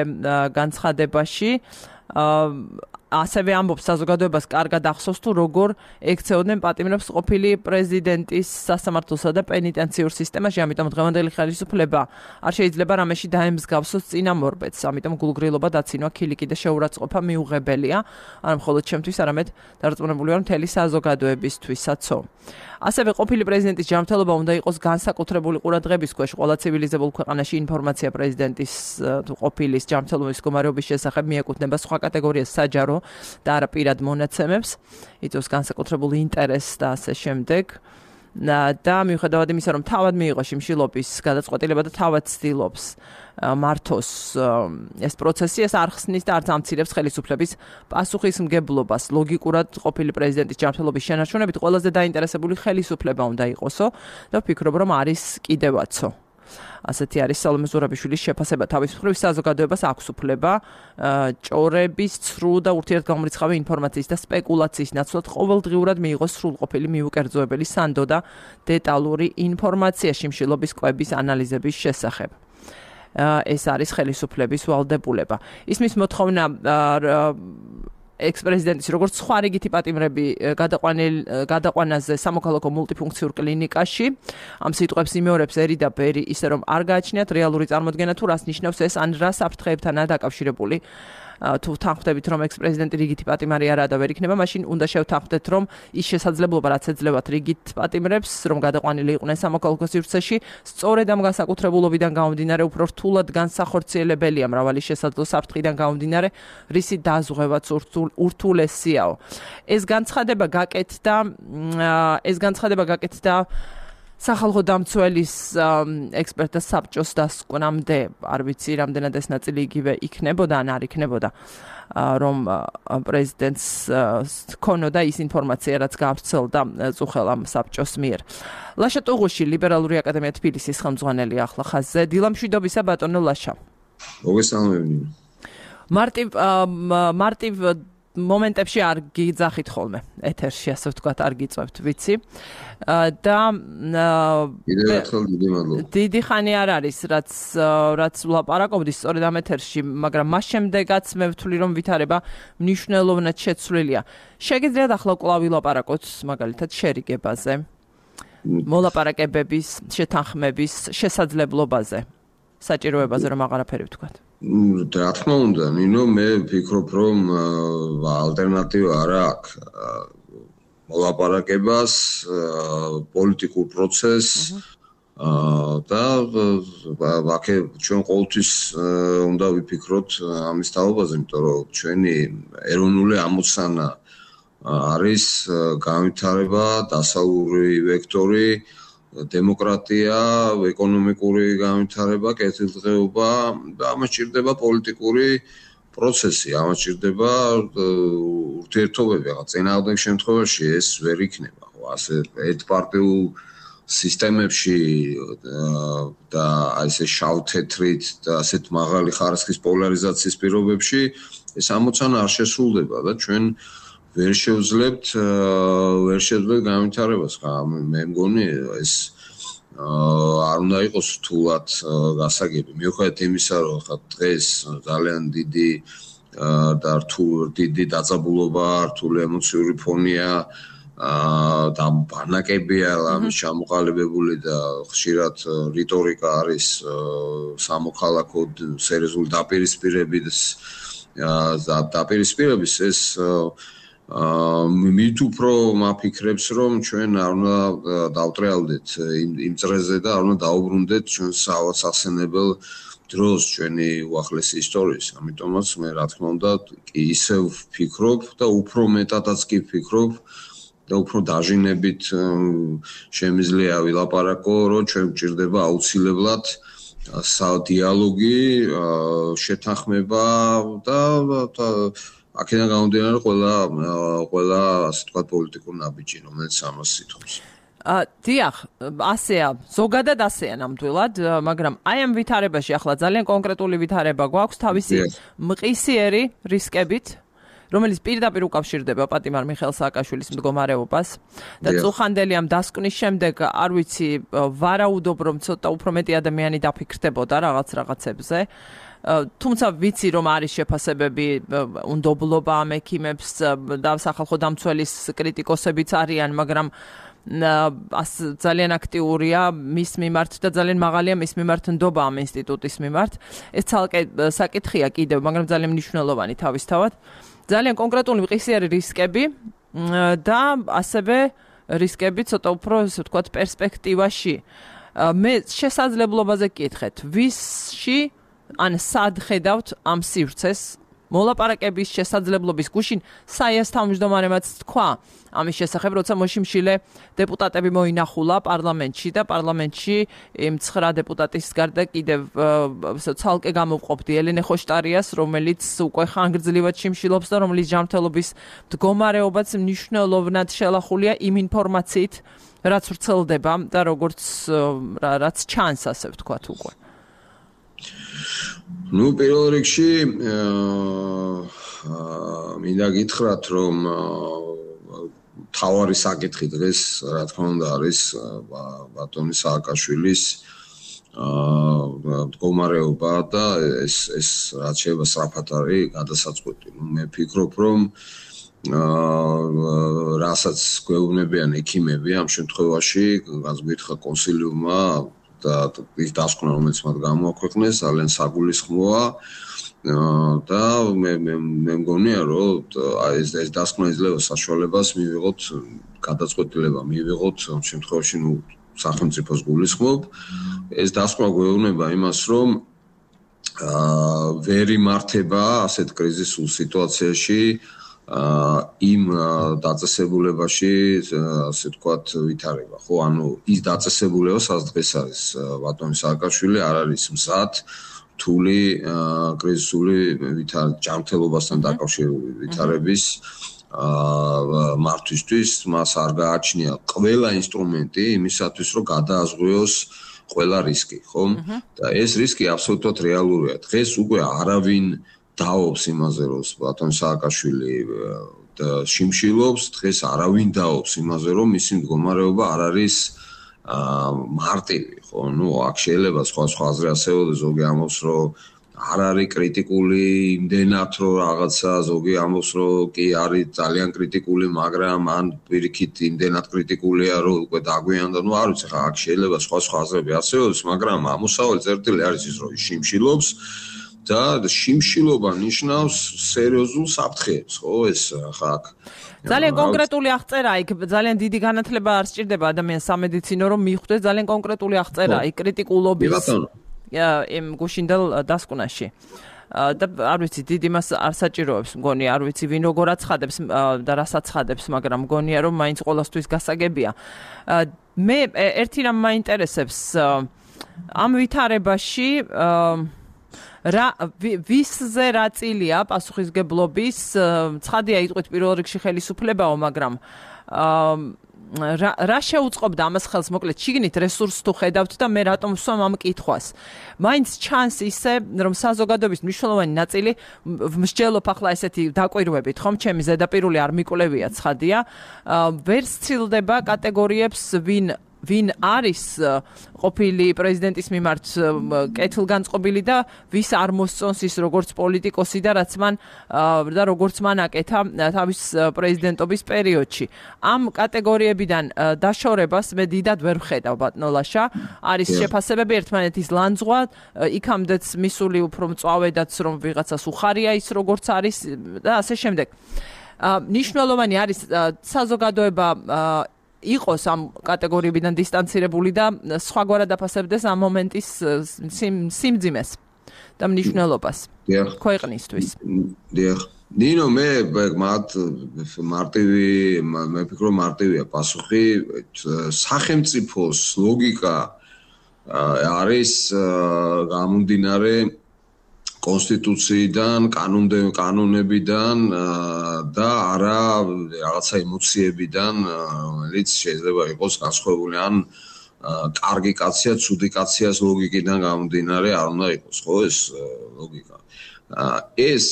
განცხადებაში ასევე ამბობს საზოგადოებას კარგად ახსოვს თუ როგორ ექცეოდნენ პატიმრებს ყოფილი პრეზიდენტის სასამართლოსა და პენიტენციურ სისტემაში, ამიტომ დღევანდელი ხელისუფლება არ შეიძლება რამეში დაემსგავსოს წინამორბედს, ამიტომ გულგრილობა, დაცინვა, ქილიკი და შეურაცხყოფა მიუღებელია, არა მხოლოდ ჩემთვის, არამედ დარწმუნებული ვარ მთელი საზოგადოებისთვისაც. ასევე ყოფილი პრეზიდენტის ჯანმრთელობა უნდა იყოს განსაკუთრებული ყურადღების ქვეშ. ყველა ცივილიზებულ ქვეყანაში ინფორმაცია პრეზიდენტის თუ ყოფილის ჯანმრთელობის მდგომარეობის შესახებ მიეკუთვნება სხვა კატეგორიას საჯარო და არა პირად მონაცემებს, იწვევს განსაკუთრებულ ინტერესს და ასე შემდეგ. და მიუხედავად იმისა, რომ თავად მიიღო შიმშილობის გადაწყვეტილება და თავად ცდილობს მართოს ეს პროცესი, ეს არ ხსნის და არც ამცირებს ხელისუფლების პასუხისმგებლობას. ლოგიკურად ყოფილი პრეზიდენტის ჯანმრთელობის შენარჩუნებით ყველაზე დაინტერესებული ხელისუფლება უნდა იყოსო და ვფიქრობ, რომ არის კიდევაცო. ასეთი არის სალომე ზურაბიშვილის შეფასება. თავის მხრივ საზოგადოებას აქვს უფლება ჭორების, ცრუ და ურთიერთგამორიცხავი ინფორმაციის და სპეკულაციის ნაცვლად ყოველდღიურად მიიღოს სრულყოფილი მიუკერძოებელი სანდო და დეტალური ინფორმაცია შიმშილობის კვების ანალიზების შესახებ. ეს არის ხელისუფლების ვალდებულება. ისმის მოთხოვნა ექს-პრეზიდენტის როგორც სხვა რიგითი პატიმრები გადაყვანაზე სამოქალაქო მულტიფუნქციურ კლინიკაში. ამ სიტყვებს იმეორებს ერი და ბერი, ისე რომ არ გააჩნიათ რეალური წარმოდგენა თუ რას ნიშნავს ეს, ან რა საფრთხეებთანაა დაკავშირებული. თუ თანხმდებით, რომ ექს-პრეზიდენტი რიგითი პატიმარი არაა და ვერ იქნება, მაშინ უნდა შევთანხმდეთ, რომ ის შესაძლებლობა, რაც ეძლებათ რიგით პატიმრებს, რომ გადაყვანილი იყვნენ სამოქალაქო სივრცეში, სწორედ ამ განსაკუთრებულობიდან გამომდინარე უფრო რთულად განსახორციელებელია მრავალი შესაძლო საფრთხიდან გამომდინარე, რისი დაზღვევაც ურთულესიაო. ეს განცხადება გაკეთდა, ეს განცხადება გაკეთდა სახალხო დამცველის ექსპერტთა საბჭოს დასკვნამდე, არ ვიცი, რამდენად ეს ნაწილი იგივე იქნებოდა, ან არ იქნებოდა, რომ პრეზიდენტს ჰქონოდა ის ინფორმაცია, რაც გავრცელდა წუხელ ამ საბჭოს მიერ. ლაშა ტუღუში, ლიბერალური აკადემია თბილისის ხელმძღვანელი ახლა ხაზზე. დილამშვიდობისა, ბატონო ლაშა. მოგესალმები. მარტივ მარტივ მომენტებში არ გიძახით ხოლმე ეთერში, ასე ვთქვათ, არ გიწევთ, ვიცი. და კიდევ ერთხელ დიდი მადლობა. დიდი ხანი არ არის, რაც რაც ვლაპარაკობდი სწორედ ამ ეთერში, მაგრამ მას შემდეგაც მე ვთვლი, რომ ვითარება მნიშვნელოვნად შეცვლილია. შეგიძლიათ ახლა კვლავ ვილაპარაკოთ მაგალითად შერიგებაზე, მოლაპარაკებების, შეთანხმების შესაძლებლობაზე, საჭიროებაზე, რომ აღარაფერი ვთქვათ. რა თქმა უნდა, ნინო, მე ვფიქრობ, რომ ალტერნატივა არ აქვს მოლაპარაკებას, პოლიტიკურ პროცესს და ვაკე ჩვენ ყოველთვის უნდა ვიფიქროთ ამის თაობაზე, იმიტომ რომ ჩვენი ეროვნული ამოცანა არის განვითარება, დასავლური ვექტორი, დემოკრატია, ეკონომიკური განვითარება, კეთილდღეობა და ამას ჭირდება პოლიტიკური პროცესი, ამას ჭირდება ურთიერთობები, რაღაც წინააღმდეგ შემთხვევაში ეს ვერ იქნება, ხო, ასე ერთპარტიულ სისტემებში და ესე შავ-თეთრით და ასეთ მაღალი ხარისხის პოლარიზაციის პირობებში ეს ამოცანა არ შესრულდება და ჩვენ ვერ შევძლებთ ვერ შევძლებთ განვითარებას. მე მგონი ეს არ უნდა იყოს რთულად გასაგები. მიუხედავად იმისა, რომ ხა დღეს ძალიან დიდი და რთულ დიდი დაძაბულობა, რთული ემოციური ფონია და ბანაკებია ამის ჩამოყალიბებული და ხშირად რიტორიკა არის სამოქალაქო სერიოზული დაპირისპირების დაპირისპირების ეს მით უფრო მაფიქრებს რომ ჩვენ არ უნდა დავტრიალდეთ იმ წრეზე და არ უნდა დაუბრუნდეთ ჩვენ სასენებელ დროს ჩვენი უახლესი ისტორიის. ამიტომაც მე რა თქმა უნდა ისევ ვფიქრობ და უფრო მეტადაც კი ვფიქრობ და უფრო დაჟინებით შემიძლია ვილაპარაკო, რომ ჩვენ გვჭირდება აუცილებლად სადიალოგი, შეთანხმება და აქედან გამომდინარე ყველა ყველა ასე ვთქვათ პოლიტიკურ ნაბიჯი, რომელიც ამას ითხოვს. დიახ, ასეა, ზოგადად ასეა ნამდვილად, მაგრამ აი ამ ვითარებაში ახლა ძალიან კონკრეტული ვითარება გვაქვს თავისი მყისიერი რისკებით, რომელიც პირდაპირ უკავშირდება პატიმარ მიხეილ სააკაშვილის მდგომარეობას და წუხანდელი ამ დასკვნის შემდეგ არ ვიცი, ვარაუდობ რომ ცოტა უფრო მეტი ადამიანი დაფიქრდებოდა რაღაც რაღაცებზე. თუმცა ვიცი რომ არის შეფასებები უნდობლობა ამ ექიმებს და სახალხო დამცველის კრიტიკოსებიც არიან, მაგრამ ძალიან აქტიურია მის მიმართ და ძალიან მაღალია მის მიმართ ნდობა ამ ინსტიტუტის მიმართ. ეს ცალკე საკითხია კიდევ, მაგრამ ძალიან მნიშვნელოვანი თავისთავად. ძალიან კონკრეტული მყისიერი რისკები და ასევე რისკები ცოტა უფრო ასე ვთქვათ პერსპექტივაში. მე შესაძლებლობაზე გკითხეთ, ვისში ან სად ხედავთ ამ სივრცეს მოლაპარაკების შესაძლებლობის გუშინ საიას თავმჯდომარემაც თქვა ამის შესახებ, როცა მოშიმშილე დეპუტატები მოინახულა პარლამენტში და პარლამენტში იმ ცხრა დეპუტატის გარდა კიდევ ცალკე გამოვყოფდი ელენე ხოშტარიას, რომელიც უკვე ხანგრძლივად შიმშილობს და რომლის ჯანმრთელობის მდგომარეობაც მნიშვნელოვნად შელახულია იმ ინფორმაციით, რაც ვრცელდება და როგორც რაც ჩანს, ასე ვთქვათ უკვე. Ну, პირველ რიგში მინდა გითხრათ, რომ თავარი საკითხი დღეს, რა თქმა უნდა, არის ბატონი სააკაშვილის მდგომარეობა და ეს ეს რაც შეიძლება სწრაფად არის გადასაწყვეტი. მე ვფიქრობ, რომ რასაც გვეუბნებიან ექიმები ამ შემთხვევაში, განსგვითხა კონსილიუმმა და ის დასკვნა, რომელიც მათ გამოაქვეყნეს, ძალიან საგულისხმოა და მე მე მგონია, რომ ეს ეს დასკვნა იძლევა საშუალებას მივიღოთ გადაწყვეტილება, მივიღოთ ამ შემთხვევაში, ნუ სახელმწიფოს გულისხმობ. ეს დასკვნა გვეუბნება იმას, რომ ვერ იმართება ასეთ კრიზისულ სიტუაციაში იმ დაწესებულებაში, ასე ვთქვათ, ვითარება, ხო? ანუ ის დაწესებულება, სადაც დღეს არის ბატონი სააკაშვილი, არ არის მზად რთული კრიზისული ჯანმრთელობასთან დაკავშირებული ვითარების მართვისთვის, მას არ გააჩნია ყველა ინსტრუმენტი იმისათვის, რომ გადააზღვიოს ყველა რისკი, ხო? და ეს რისკი აბსოლუტურად რეალურია. დღეს უკვე არავინ დაობს იმაზე, რომ ბატონი სააკაშვილი შიმშილობს, დღეს არავინ დაობს იმაზე, რომ მისი მდგომარეობა არ არის მარტივი, ხო? ნუ აქ შეიძლება სხვა სხვა აზრი ასეულოს, ზოგი ამბობს, რომ არ არის კრიტიკული იმდენად, რომ რაღაცა, ზოგი ამბობს, რომ კი არის ძალიან კრიტიკული, მაგრამ ან პირიქით იმდენად კრიტიკულია, რომ უკვე დაგვიანდა, ნუ არ ვიცი, ხა აქ შეიძლება სხვა სხვა აზრები ასეულოს, მაგრამ ამოსავალი წერტილი არის ის, რომ შიმშილობს და შიმშილობა ნიშნავს სერიოზულ საფრთხეებს, ხო, ეს ხა აქ ძალიან კონკრეტული აღწერა, იქ ძალიან დიდი განათლება არ სჭირდება ადამიანს სამედიცინო, რომ მიხვდეს ძალიან კონკრეტული აღწერა, იქ კრიტიკულობის იმ გუშინდელ დასკვნაში. და არ ვიცი, დიდი მას არ საჭიროებს, მგონი, არ ვიცი, ვინ როგორ აცხადებს და რას აცხადებს, მაგრამ მგონია, რომ მაინც ყოველთვის გასაგებია. მე ერთი რამ მაინტერესებს ამ ვითარებაში რა ვისზე რა წილია პასუხისგებლობის, ცხადია იტყვით პირველ რიგში ხელისუფლებაო, მაგრამ რა რა შეუწყობდა ამას ხელს, მოკლედ შიგნით რესურსს თუ ხედავთ და მე რატომ ვსვამ ამ კითხვას. მაინც ჩანს ისე, რომ საზოგადოების მნიშვნელოვანი ნაწილი მსჯელობ ახლა ესეთი დაკვირვებით, ხომ, ჩემი ზედაპირული არ მიკვლევია, ცხადია, ვერ სცილდება კატეგორიებს, ვინ ვინ არის ყოფილი პრეზიდენტის მიმართ კეთილგანწყობილი და ვის არ მოსწონს ის როგორც პოლიტიკოსი და რაც მან და როგორც მან აკეთა თავის პრეზიდენტობის პერიოდში. ამ კატეგორიებიდან დაშორებას მე დიდად ვერ ვხედავ ბატონო ლაშა. არის შეფასებები ერთმანეთის ლანძღვა, იქამდეც მისული უფრო მწვავედაც რომ ვიღაცას უხარია ის როგორც არის და ასე შემდეგ. ნიშნულოვანი არის საზოგადოება იყოს ამ კატეგორიებიდან დისტანცირებული და სხვაგვარად აფასებდეს ამ მომენტის სიმძიმეს და მნიშვნელობას ქვეყნისთვის. დიახ. ნინო მე მათ მარტივი მე ფიქრობ მარტივია პასუხი სახელმწიფოს ლოგიკა არის გამომდინარე კონსტიტუციიდან, კანონებიდან და არა რაღაცა ემოციებიდან, რომელიც შეიძლება იყოს განსხვავებული ან კარგი კაცია, ცუდი კაციას ლოგიკიდან გამომდინარე არ უნდა იყოს, ხო ეს ლოგიკა. ეს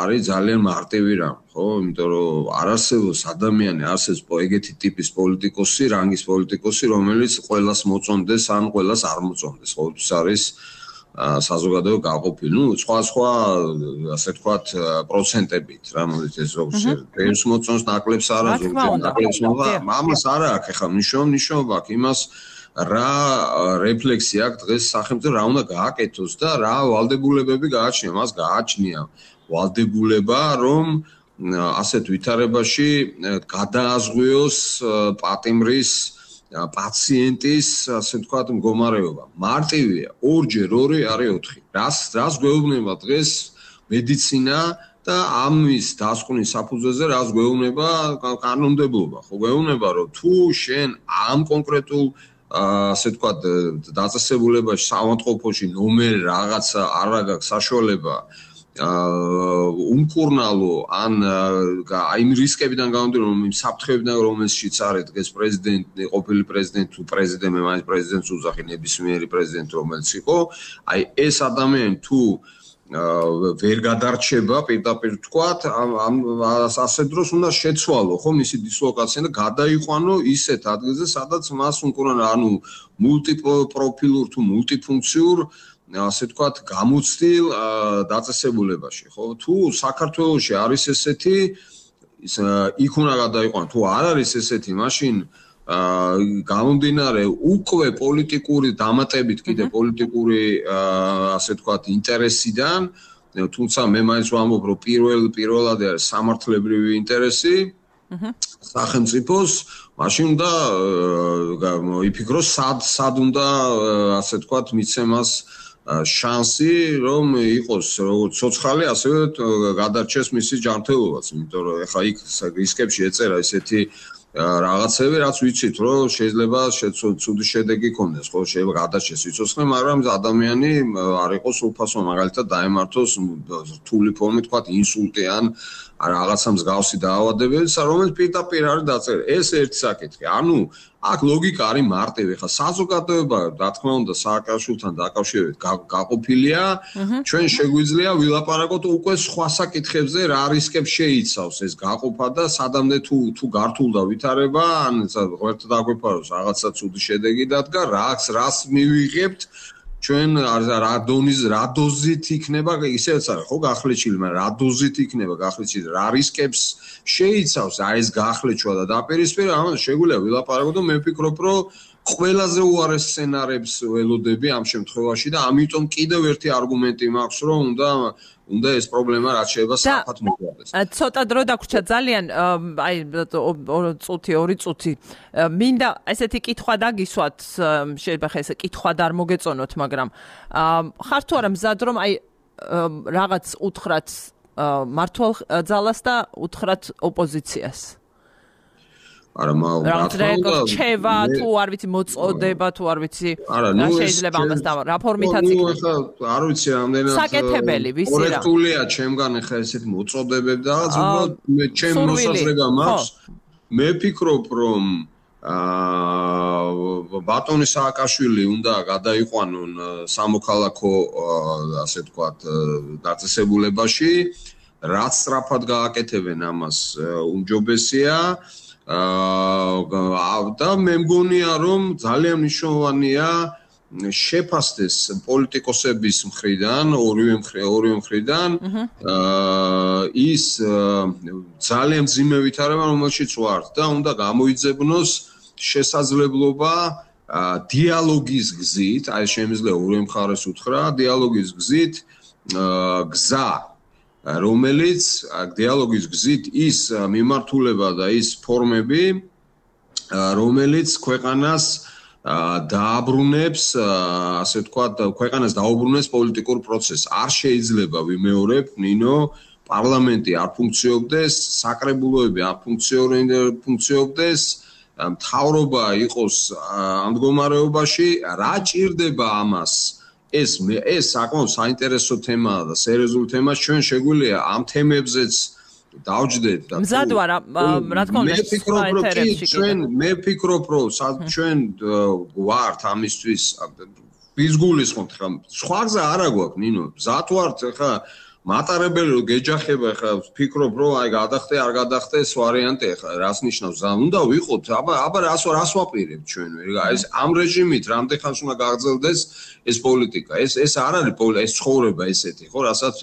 არის ძალიან მარტივი რამ, ხო? იმიტომ რომ არ არსებობს ადამიანი, არსებობს ეგეთი ტიპის პოლიტიკოსი, რანგის პოლიტიკოსი, რომელიც ყველას მოწონდეს ან ყველას არ მოწონდეს, ხო? ეს არის საზოგადოება გაყოფილი. ნუ სხვა სხვა ასე ვთქვათ პროცენტებით, რა მოდი ეს როგორც ეს მოწონს ნაკლებს არა ზოგადად ნაკლებს მოვა. ამას არა აქვს ახლა მნიშვნელობა აქვს იმას რა რეფლექსია აქვს დღეს სახელმწიფო რა უნდა გააკეთოს და რა ვალდებულებები გააჩნია. მას გააჩნია ვალდებულება რომ ასეთ ვითარებაში გადააზღვიოს პატიმრის პაციენტის, ასე ვთქვათ, მდგომარეობა. მარტივია, ორჯერ ორი არის ოთხი. რას რას გვეუბნება დღეს მედიცინა და ამის დასკვნის საფუძველზე რას გვეუბნება კანონმდებლობა? ხო გვეუბნება, რომ თუ შენ ამ კონკრეტულ ასე ვთქვათ, დაწესებულებაში საავადმყოფოში ნომერი რაღაცა არ აქვს საშუალება უმკურნალო ან აი იმ რისკებიდან გამომდინარე რომ იმ საფრთხეებიდან რომელშიც არის დღეს პრეზიდენტი ყოფილი პრეზიდენტი თუ პრეზიდენტი მაინც პრეზიდენტს უძახი ნებისმიერი პრეზიდენტი რომელიც იყო აი ეს ადამიანი თუ ვერ გადარჩება პირდაპირ თქვათ ამ ასე დროს უნდა შეცვალო ხო მისი დისლოკაცია და გადაიყვანო ისეთ ადგილზე სადაც მას უმკურნალო ანუ მულტიპროფილურ თუ მულტიფუნქციურ ასე ვთქვათ გამოცდილ დაწესებულებაში ხო თუ საქართველოში არის ესეთი იქ უნდა გადაიყვანო თუ არ არის ესეთი მაშინ გამომდინარე უკვე პოლიტიკური დამატებით კიდე პოლიტიკური ასე ვთქვათ ინტერესიდან თუმცა მე მაინც ვამბობ რომ პირველ პირველად არის სამართლებრივი ინტერესი სახელმწიფოს მაშინ უნდა იფიქროს სად სად უნდა ასე ვთქვათ მიცემას შანსი რომ იყოს როგორც ცოცხალი ასევე გადარჩეს მისი ჯანმრთელობაც იმიტომ რომ ეხლა იქ რისკებში ეწერა ესეთი რაღაცები რაც ვიცით რომ შეიძლება ცუდი შედეგი ქონდეს ხო შეიძლება გადარჩეს სიცოცხლე მაგრამ ადამიანი არ იყოს უფასო მაგალითად დაემართოს რთული ფორმით თქვა ინსულტი ან რაღაცა მსგავსი დაავადებები რომელიც პირდაპირ არის დაწერილი ეს ერთი საკითხი ანუ აქ ლოგიკა არის მარტივი ხა საზოგადოება რა თქმა უნდა სააკაშვილთან დაკავშირებით გაყოფილია ჩვენ შეგვიძლია ვილაპარაკოთ უკვე სხვა საკითხებზე რა რისკებს შეიცავს ეს გაყოფა და სადამდე თუ თუ გართულდა ვითარება ან ღერთ დაგვეფაროს რაღაცა ცუდი შედეგი დადგა რას რას მივიღებთ ჩვენ რა დონის რა დოზით იქნება ისევაც არის ხო გახლეჩილი მაგრამ რა დოზით იქნება გახლეჩილი რა რისკებს შეიცავს აი ეს გახლეჩვა და დაპირისპირება ამას შეგვიძლია ვილაპარაკოთ და მე ვფიქრობ რომ ყველაზე უარეს სცენარებს ველოდები ამ შემთხვევაში და ამიტომ კიდევ ერთი არგუმენტი მაქვს რომ უნდა უნდა ეს პრობლემა რაც შეიძლება საფათ მოგვიყვანოს. ცოტა დრო დაგვრჩა ძალიან აი წუთი ორი წუთი მინდა ესეთი კითხვა დაგისვათ შეიძლება ხა ეს კითხვა და არ მოგეწონოთ მაგრამ ხარ თუ არა მზად რომ აი რაღაც უთხრათ მართვალ ძალას და უთხრათ ოპოზიციას არა მაგრამ რჩევა თუ არ ვიცი მოწოდება თუ არ ვიცი რა შეიძლება ამას და რა ფორმითაც იქნება არ ვიცი რამდენად საკეთებელი ვისი რა კორექტულია ჩემგან ხა ესეთ მოწოდებები და რაღაც უბრალოდ მე ჩემ მოსაზრება მაქვს მე ფიქრობ რომ აა ბატონი სააკაშვილი უნდა გადაიყვანონ სამოქალაქო ასე ვთქვათ დაწესებულებაში რაც სწრაფად გააკეთებენ ამას უმჯობესია აა და მე მგონია რომ ძალიან მნიშვნელოვანია შეფასდეს პოლიტიკოსების მხრიდან, ორივე ორივე მხრიდან აა ის ძალიან მძიმე ვითარება, რომელშიც ვართ და უნდა გამოიძებნოს შესაძლებლობა დიალოგის გზით, აი შემიძლია ორივე მხარეს უთხრა, დიალოგის გზით გზა, რომელიც დიალოგის გზით ის მიმართულება და ის ფორმები, რომელიც ქვეყანას დააბრუნებს, ასე ვთქვათ, ქვეყანას დაუბრუნებს პოლიტიკურ პროცესს. არ შეიძლება ვიმეორებ, ნინო, პარლამენტი არ ფუნქციონდეს, საკრებულოები არ ფუნქციონდეს, მთავრობა იყოს ამ მდგომარეობაში, რა ჭირდება ამას? ეს ეს საკმაოდ საინტერესო თემაა და სერიოზული თემაა. ჩვენ შეგვიძლია ამ თემებზეც დავჯდეთ და მზად ვარ რა თქმა უნდა მე ვფიქრობ რომ ჩვენ მე ვფიქრობ რომ ჩვენ ვართ ამისთვის ის გულისხმობთ ხა სხვა გზა არა გვაქვს ნინო მზად ვართ ხა მატარებელი რომ გეჯახება ხა ვფიქრობ რომ აი გადახტე არ გადახტე ეს ვარიანტი ხა რას ნიშნავს ზა უნდა ვიყოთ აბა აბა რას რას ვაპირებთ ჩვენ ეს ამ რეჟიმით რამდენ ხანს უნდა გაგრძელდეს ეს პოლიტიკა ეს ეს არ არის ეს ცხოვრება ესეთი ხო რასაც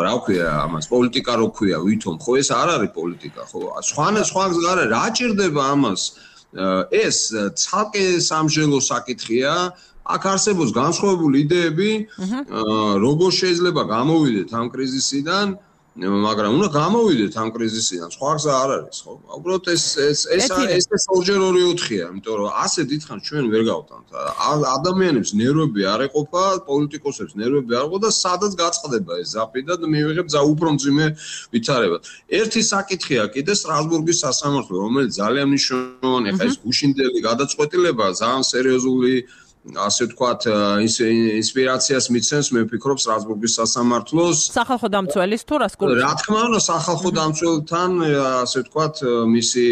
რა ვქვია ამას პოლიტიკა რო ქვია ვითომ ხო ეს არ არის პოლიტიკა ხო სხვა სხვა გზა არა რა ჭირდება ამას ეს ცალკე სამშელო საკითხია აქ არსებობს განსხვავებული იდეები როგორ შეიძლება გამოვიდეთ ამ კრიზისიდან მაგრამ უნდა გამოვიდეთ ამ კრიზისიდან სხვა გზა არ არის ხო უბრალოდ ეს ეს ეს ეს ორჯერ ორი ოთხია იმიტომ რომ ასე დიდხანს ჩვენ ვერ გავტანთ ადამიანებს ნერვები არ ეყოფა პოლიტიკოსებს ნერვები არ ეყოფა და სადაც გაწყდება ეს ზაფი და მივიღებ ზა უფრო მძიმე ვითარებად ერთი საკითხია კიდე სტრასბურგის სასამართლო რომელიც ძალიან მნიშვნელოვანია ხა ეს გუშინდელი გადაწყვეტილება ძალიან სერიოზული ასე ვთქვათ ინსპირაციას მიცემს მე ვფიქრობ სტრასბურგის სასამართლოს სახალხო დამცველის თუ რას გულისხმობთ რა თქმა უნდა სახალხო დამცველთან ასე ვთქვათ მისი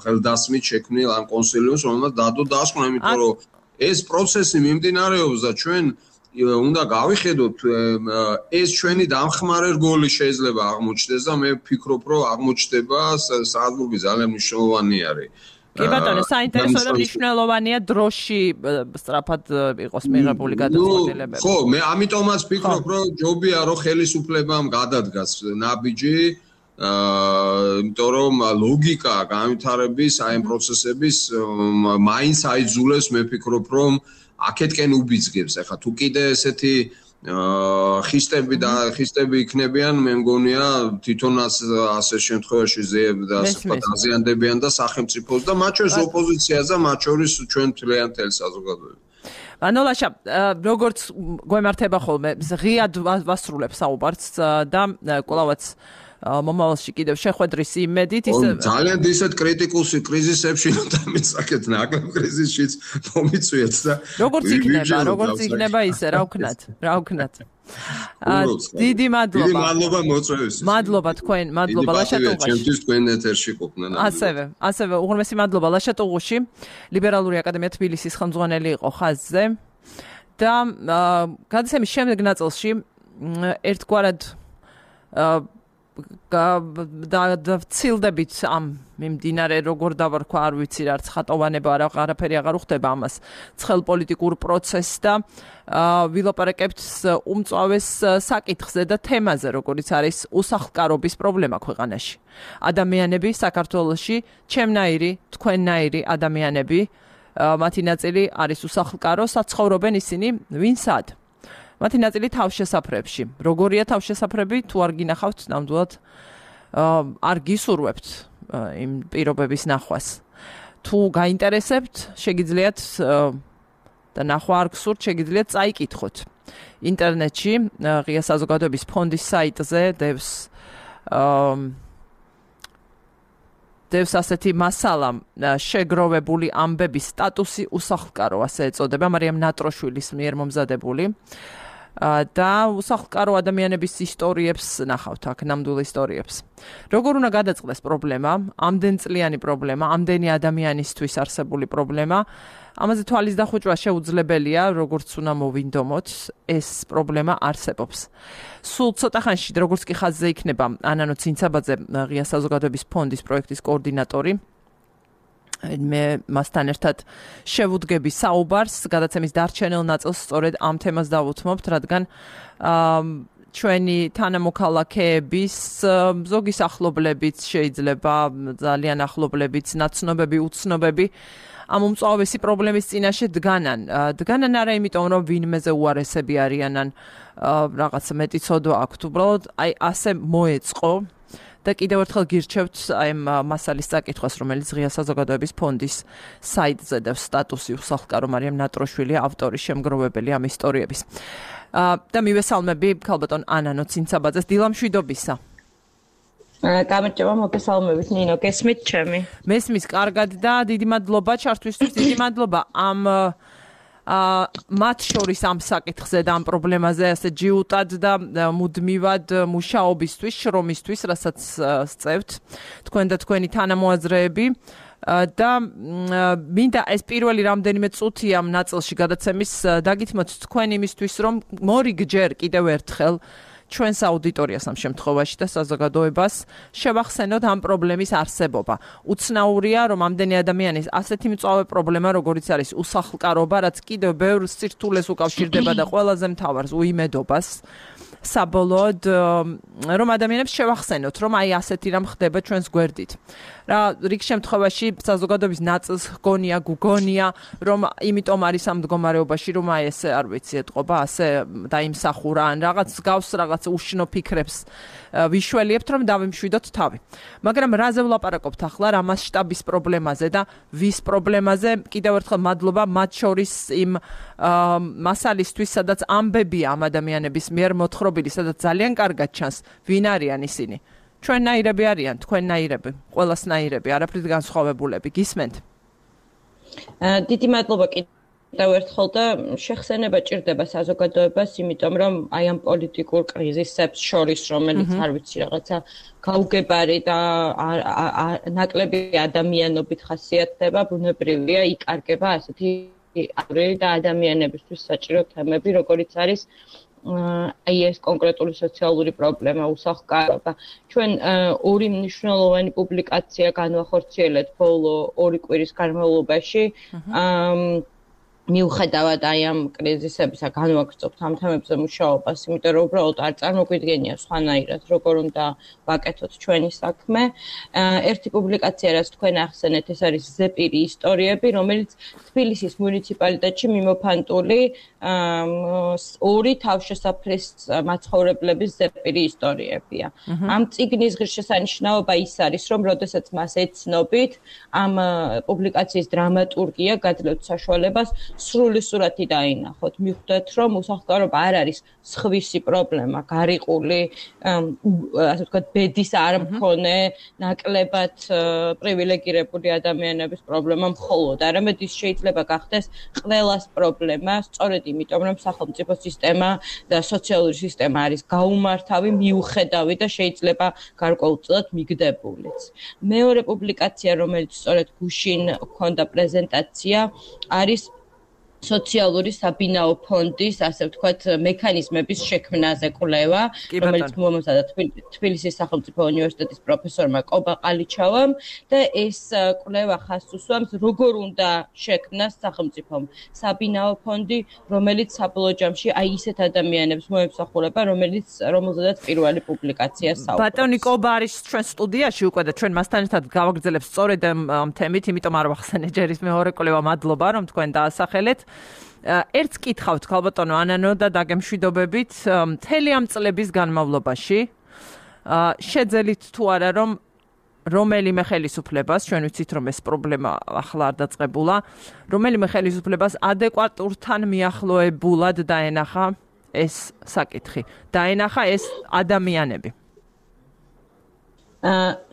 ხელდასმით შექმნილ ამ კონსილიუმს რომელმაც დადო დასკვნა იმიტომ რომ ეს პროცესი მიმდინარეობს და ჩვენ უნდა გავიხედოთ ეს ჩვენი დამხმარე რგოლი შეიძლება აღმოჩნდეს და მე ვფიქრობ რომ აღმოჩნდება სტრასბურგი ძალიან მნიშვნელოვანი არის კი ბატონო, საინტერესო და მნიშვნელოვანია დროში სწრაფად იყოს მიღებული გადაწყვეტილებები. ხო, მე ამიტომაც ვფიქრობ, რომ ჯობია რომ ხელისუფლებამ გადადგას ნაბიჯი, აა, იმიტომ რომ ლოგიკა განვითარების აი ამ პროცესების მაინც აიძულებს, მე ვფიქრობ, რომ აქეთკენ უბიძგებს. ახლა თუ კიდე ესეთი აა ხისტები და ხისტები იქნებიან, მე მგონია თვითონაც ასე შემთხვევაში ზეებდა აზიანდებიან და სახელმწიფოს და მათ შორის ოპოზიციას და მათ შორის ჩვენ მთლიან თელ საზოგადოებას. ანოლაშა, როგორც გვემართება ხოლმე, ღიად ვასრულებს საუბარს და კვლავაც მომავალში კიდევ შეხვედრის იმედით ის ძალიან ისეთ კრიტიკულ კრიზისებში დამისაკეთ ნაკლებ კრიზისშიც მომიწვიეთ და როგორც იქნება როგორც იქნება ისე რა ვქნათ რა ვქნათ დიდი მადლობა დიდი მადლობა მოწვევისთვის მადლობა თქვენ მადლობა ლაშატუღუში ჩემთვის თქვენ ეთერში ყოფნა ასევე ასევე უღრმესი მადლობა ლაშატუღუში ლიბერალური აკადემია თბილისის ხელმძღვანელი იყო ხაზზე და გადაცემის შემდეგ ნაწილში ერთგვარად და ვცილდებით ამ მიმდინარე როგორ დავარქვა არ ვიცი რა ცხატოვანება არა არაფერი აღარ უხდება ამას ცხელ პოლიტიკურ პროცესს და ვილაპარაკებთ უმწვავეს საკითხზე და თემაზე როგორიც არის უსახლკარობის პრობლემა ქვეყანაში ადამიანები საქართველოში ჩემნაირი თქვენნაირი ადამიანები მათი ნაწილი არის უსახლკარო საცხოვრობენ ისინი ვინსად მათი ნაწილი თავშესაფრებში. როგორია თავშესაფრები, თუ არ გინახავთ, ნამდვილად არ გისურვებთ იმ პირობების ნახვას. თუ გაინტერესებთ, შეგიძლიათ და ნახვა არ გსურთ, შეგიძლიათ წაიკითხოთ. ინტერნეტში ღია საზოგადოების ფონდის საიტზე დევს დევს ასეთი მასალა შეგროვებული ამბების სტატუსი უსახლკარო, ასე ეწოდება, მარიამ ნატროშვილის მიერ მომზადებული. და უსახლკარო ადამიანების ისტორიებს ნახავთ აქ ნამდვილ ისტორიებს. როგორ უნდა გადაწყდეს პრობლემა, ამდენწლიანი პრობლემა, ამდენი ადამიანისთვის არსებული პრობლემა, ამაზე თვალის დახუჭვა შეუძლებელია, როგორც უნდა მოვინდომოთ, ეს პრობლემა არსებობს. სულ ცოტა ხანში, როგორც კი ხაზზე იქნება ანანო ცინცაბაძე, ღია საზოგადოების ფონდის პროექტის კოორდინატორი, მე მასთან ერთად შევუდგები საუბარს, გადაცემის დარჩენილ ნაწილს სწორედ ამ თემას დავუთმობთ, რადგან ჩვენი თანამოქალაქეების ზოგი სახლობლებიც შეიძლება ძალიან ახლობლებიც, ნაცნობები, უცნობები ამ უმწვავესი პრობლემის წინაშე დგანან. დგანან არა იმიტომ, რომ ვინმეზე უარესები არიან ან რაღაც მეტი ცოდვა აქვთ, უბრალოდ აი ასე მოეწყო და კიდევ ერთხელ გირჩევთ აი ამ მასალის წაკითხვას, რომელიც ღია საზოგადოების ფონდის საიტზე და სტატუსი უსახლკარო მარიამ ნატროშვილი ავტორი, შემგროვებელი ამ ისტორიების. და მივესალმები ქალბატონ ანანო ცინცაბაძეს, დილამშვიდობისა. გამარჯობა, მოგესალმებით ნინო, გესმით ჩემი? მესმის კარგად და დიდი მადლობა ჩართვისთვის, დიდი მადლობა ამ მათ შორის ამ საკითხზე და ამ პრობლემაზე ასე ჯიუტად და მუდმივად მუშაობისთვის, შრომისთვის, რასაც სწევთ თქვენ და თქვენი თანამოაზრეები და მინდა ეს პირველი რამდენიმე წუთი ამ ნაწილში გადაცემის დაგითმოთ თქვენ იმისთვის, რომ მორიგჯერ კიდევ ერთხელ ჩვენს აუდიტორიას ამ შემთხვევაში და საზოგადოებას შევახსენოთ ამ პრობლემის არსებობა. უცნაურია, რომ ამდენი ადამიანის ასეთი მწვავე პრობლემა, როგორიც არის უსახლკარობა, რაც კიდევ ბევრ სირთულეს უკავშირდება და ყველაზე მთავარს უიმედობას, საბოლოოდ რომ ადამიანებს შევახსენოთ, რომ აი ასეთი რამ ხდება ჩვენს გვერდით. რა რიგ შემთხვევაში საზოგადოების ნაწილს გონია, გუგონია, რომ იმიტომ არის ამ მდგომარეობაში, რომ აი ესე არ ვიცი, ეთყობა, ასე დაიმსახურა ან რაღაც გავს რაღაც უშნო ფიქრებს ვიშველიებთ, რომ დავიმშვიდოთ თავი. მაგრამ რაზე ვლაპარაკობთ ახლა, რა მასშტაბის პრობლემაზე და ვის პრობლემაზე? კიდევ ერთხელ მადლობა მათ შორის იმ მასალისთვის, სადაც ამბებია ამ ადამიანების მიერ მოთხრობილი, სადაც ძალიან კარგად ჩანს, ვინ არიან ისინი. ჩვენნაირები არიან, თქვენნაირები, ყველასნაირები, არაფრით განსხვავებულები. გისმენთ? დიდი მადლობა კიდევ ერთხელ და შეხსენება ჭირდება საზოგადოებას, იმიტომ რომ აი ამ პოლიტიკურ კრიზისებს შორის, რომელიც არ ვიცი რაღაცა გაუგებარი და ნაკლები ადამიანობით ხასიათდება, ბუნებრივია, იკარგება ასეთი და ადამიანებისთვის საჭირო თემები, როგორიც არის აი ეს კონკრეტული სოციალური პრობლემა, უსახლკარობა. ჩვენ ორი მნიშვნელოვანი პუბლიკაცია განვახორციელეთ ბოლო ორი კვირის განმავლობაში. მიუხედავად აი ამ კრიზისებისა განვაგრძობთ ამ თემებზე მუშაობას, იმიტომ რომ უბრალოდ არ წარმოგვიდგენია სხვანაირად, როგორ უნდა ვაკეთოთ ჩვენი საქმე. ერთი პუბლიკაცია, რაც თქვენ ახსენეთ, ეს არის ზეპირი ისტორიები, რომელიც თბილისის მუნიციპალიტეტში მიმოფანტული ორი თავშესაფრის მაცხოვრებლების ზეპირი ისტორიებია. ამ წიგნის ღირსშესანიშნაობა ის არის, რომ როდესაც მას ეცნობით, ამ პუბლიკაციის დრამატურგია გაძლევთ საშუალებას სრული სურათი დაინახოთ. მიხვდეთ, რომ უსახლკარობა არ არის სხვისი პრობლემა, გარიყული, ასე ვთქვათ, ბედის არ მქონე, ნაკლებად პრივილეგირებული ადამიანების პრობლემა მხოლოდ, არამედ ის შეიძლება გახდეს ყველას პრობლემა, სწორედ იმიტომ, რომ სახელმწიფო სისტემა და სოციალური სისტემა არის გაუმართავი, მიუხედავი და შეიძლება გარკვეულწილად მიგდებულიც. მეორე პუბლიკაცია, რომელიც სწორედ გუშინ ჰქონდა პრეზენტაცია, არის სოციალური საბინაო ფონდის, ასე ვთქვათ, მექანიზმების შექმნაზე კვლევა, რომელიც მომზადა თბილისის სახელმწიფო უნივერსიტეტის პროფესორმა კობა ყალიჩავამ და ეს კვლევა ხაზს უსვამს, როგორ უნდა შექმნას სახელმწიფომ საბინაო ფონდი, რომელიც საბოლოო ჯამში აი ისეთ ადამიანებს მოემსახურება, რომელიც რომელზედაც პირველი პუბლიკაცია საუბრობს. ბატონი კობა არის ჩვენ სტუდიაში უკვე და ჩვენ მასთან ერთად გავაგრძელებთ სწორედ ამ თემით, იმიტომ არ ვახსენე ჯერ ის მეორე კვლევა, მადლობა რომ თქვენ დაასახელეთ. ერთს კითხავთ ქალბატონო ანანო და დაგემშვიდობებით, მთელი ამ წლების განმავლობაში შეძელით თუ არა რომ რომელიმე ხელისუფლებას, ჩვენ ვიცით რომ ეს პრობლემა ახლა არ დაწყებულა, რომელიმე ხელისუფლებას ადეკვატურთან მიახლოებულად დაენახა ეს საკითხი, დაენახა ეს ადამიანები.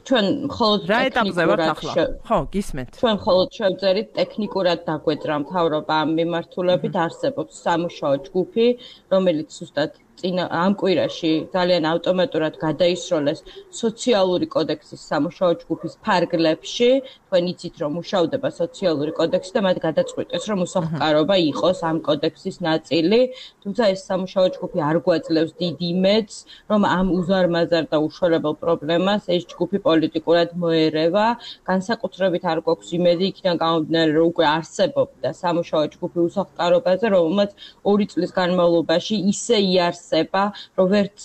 ჩვენ მხოლოდ რა ეტაპზე ვართ ახლა? ხო, გისმენთ. ჩვენ მხოლოდ შევწერით ტექნიკურად დაგვეძრა მთავრობა ამ მიმართულებით, არსებობს სამუშაო ჯგუფი, რომელიც ზუსტად წინა ამ კვირაში ძალიან ავტომატურად გადაისროლეს სოციალური კოდექსის სამუშაო ჯგუფის ფარგლებში. თქვენ იცით რომ მუშავდება სოციალური კოდექსი და მათ გადაწყვიტეს რომ უსახლკარობა იყოს ამ კოდექსის ნაწილი, თუმცა ეს სამუშაო ჯგუფი არ გვაძლევს დიდ იმედს, რომ ამ უზარმაზარ და უშორებელ პრობლემას ეს ჯგუფი პოლიტიკურად მოერევა, განსაკუთრებით არ გვაქვს იმედი იქიდან გამომდინარე, რომ უკვე არსებობდა სამუშაო ჯგუფი უსახლკარობაზე, რომელმაც ორი წლის განმავლობაში ისე იარსება, რომ ვერც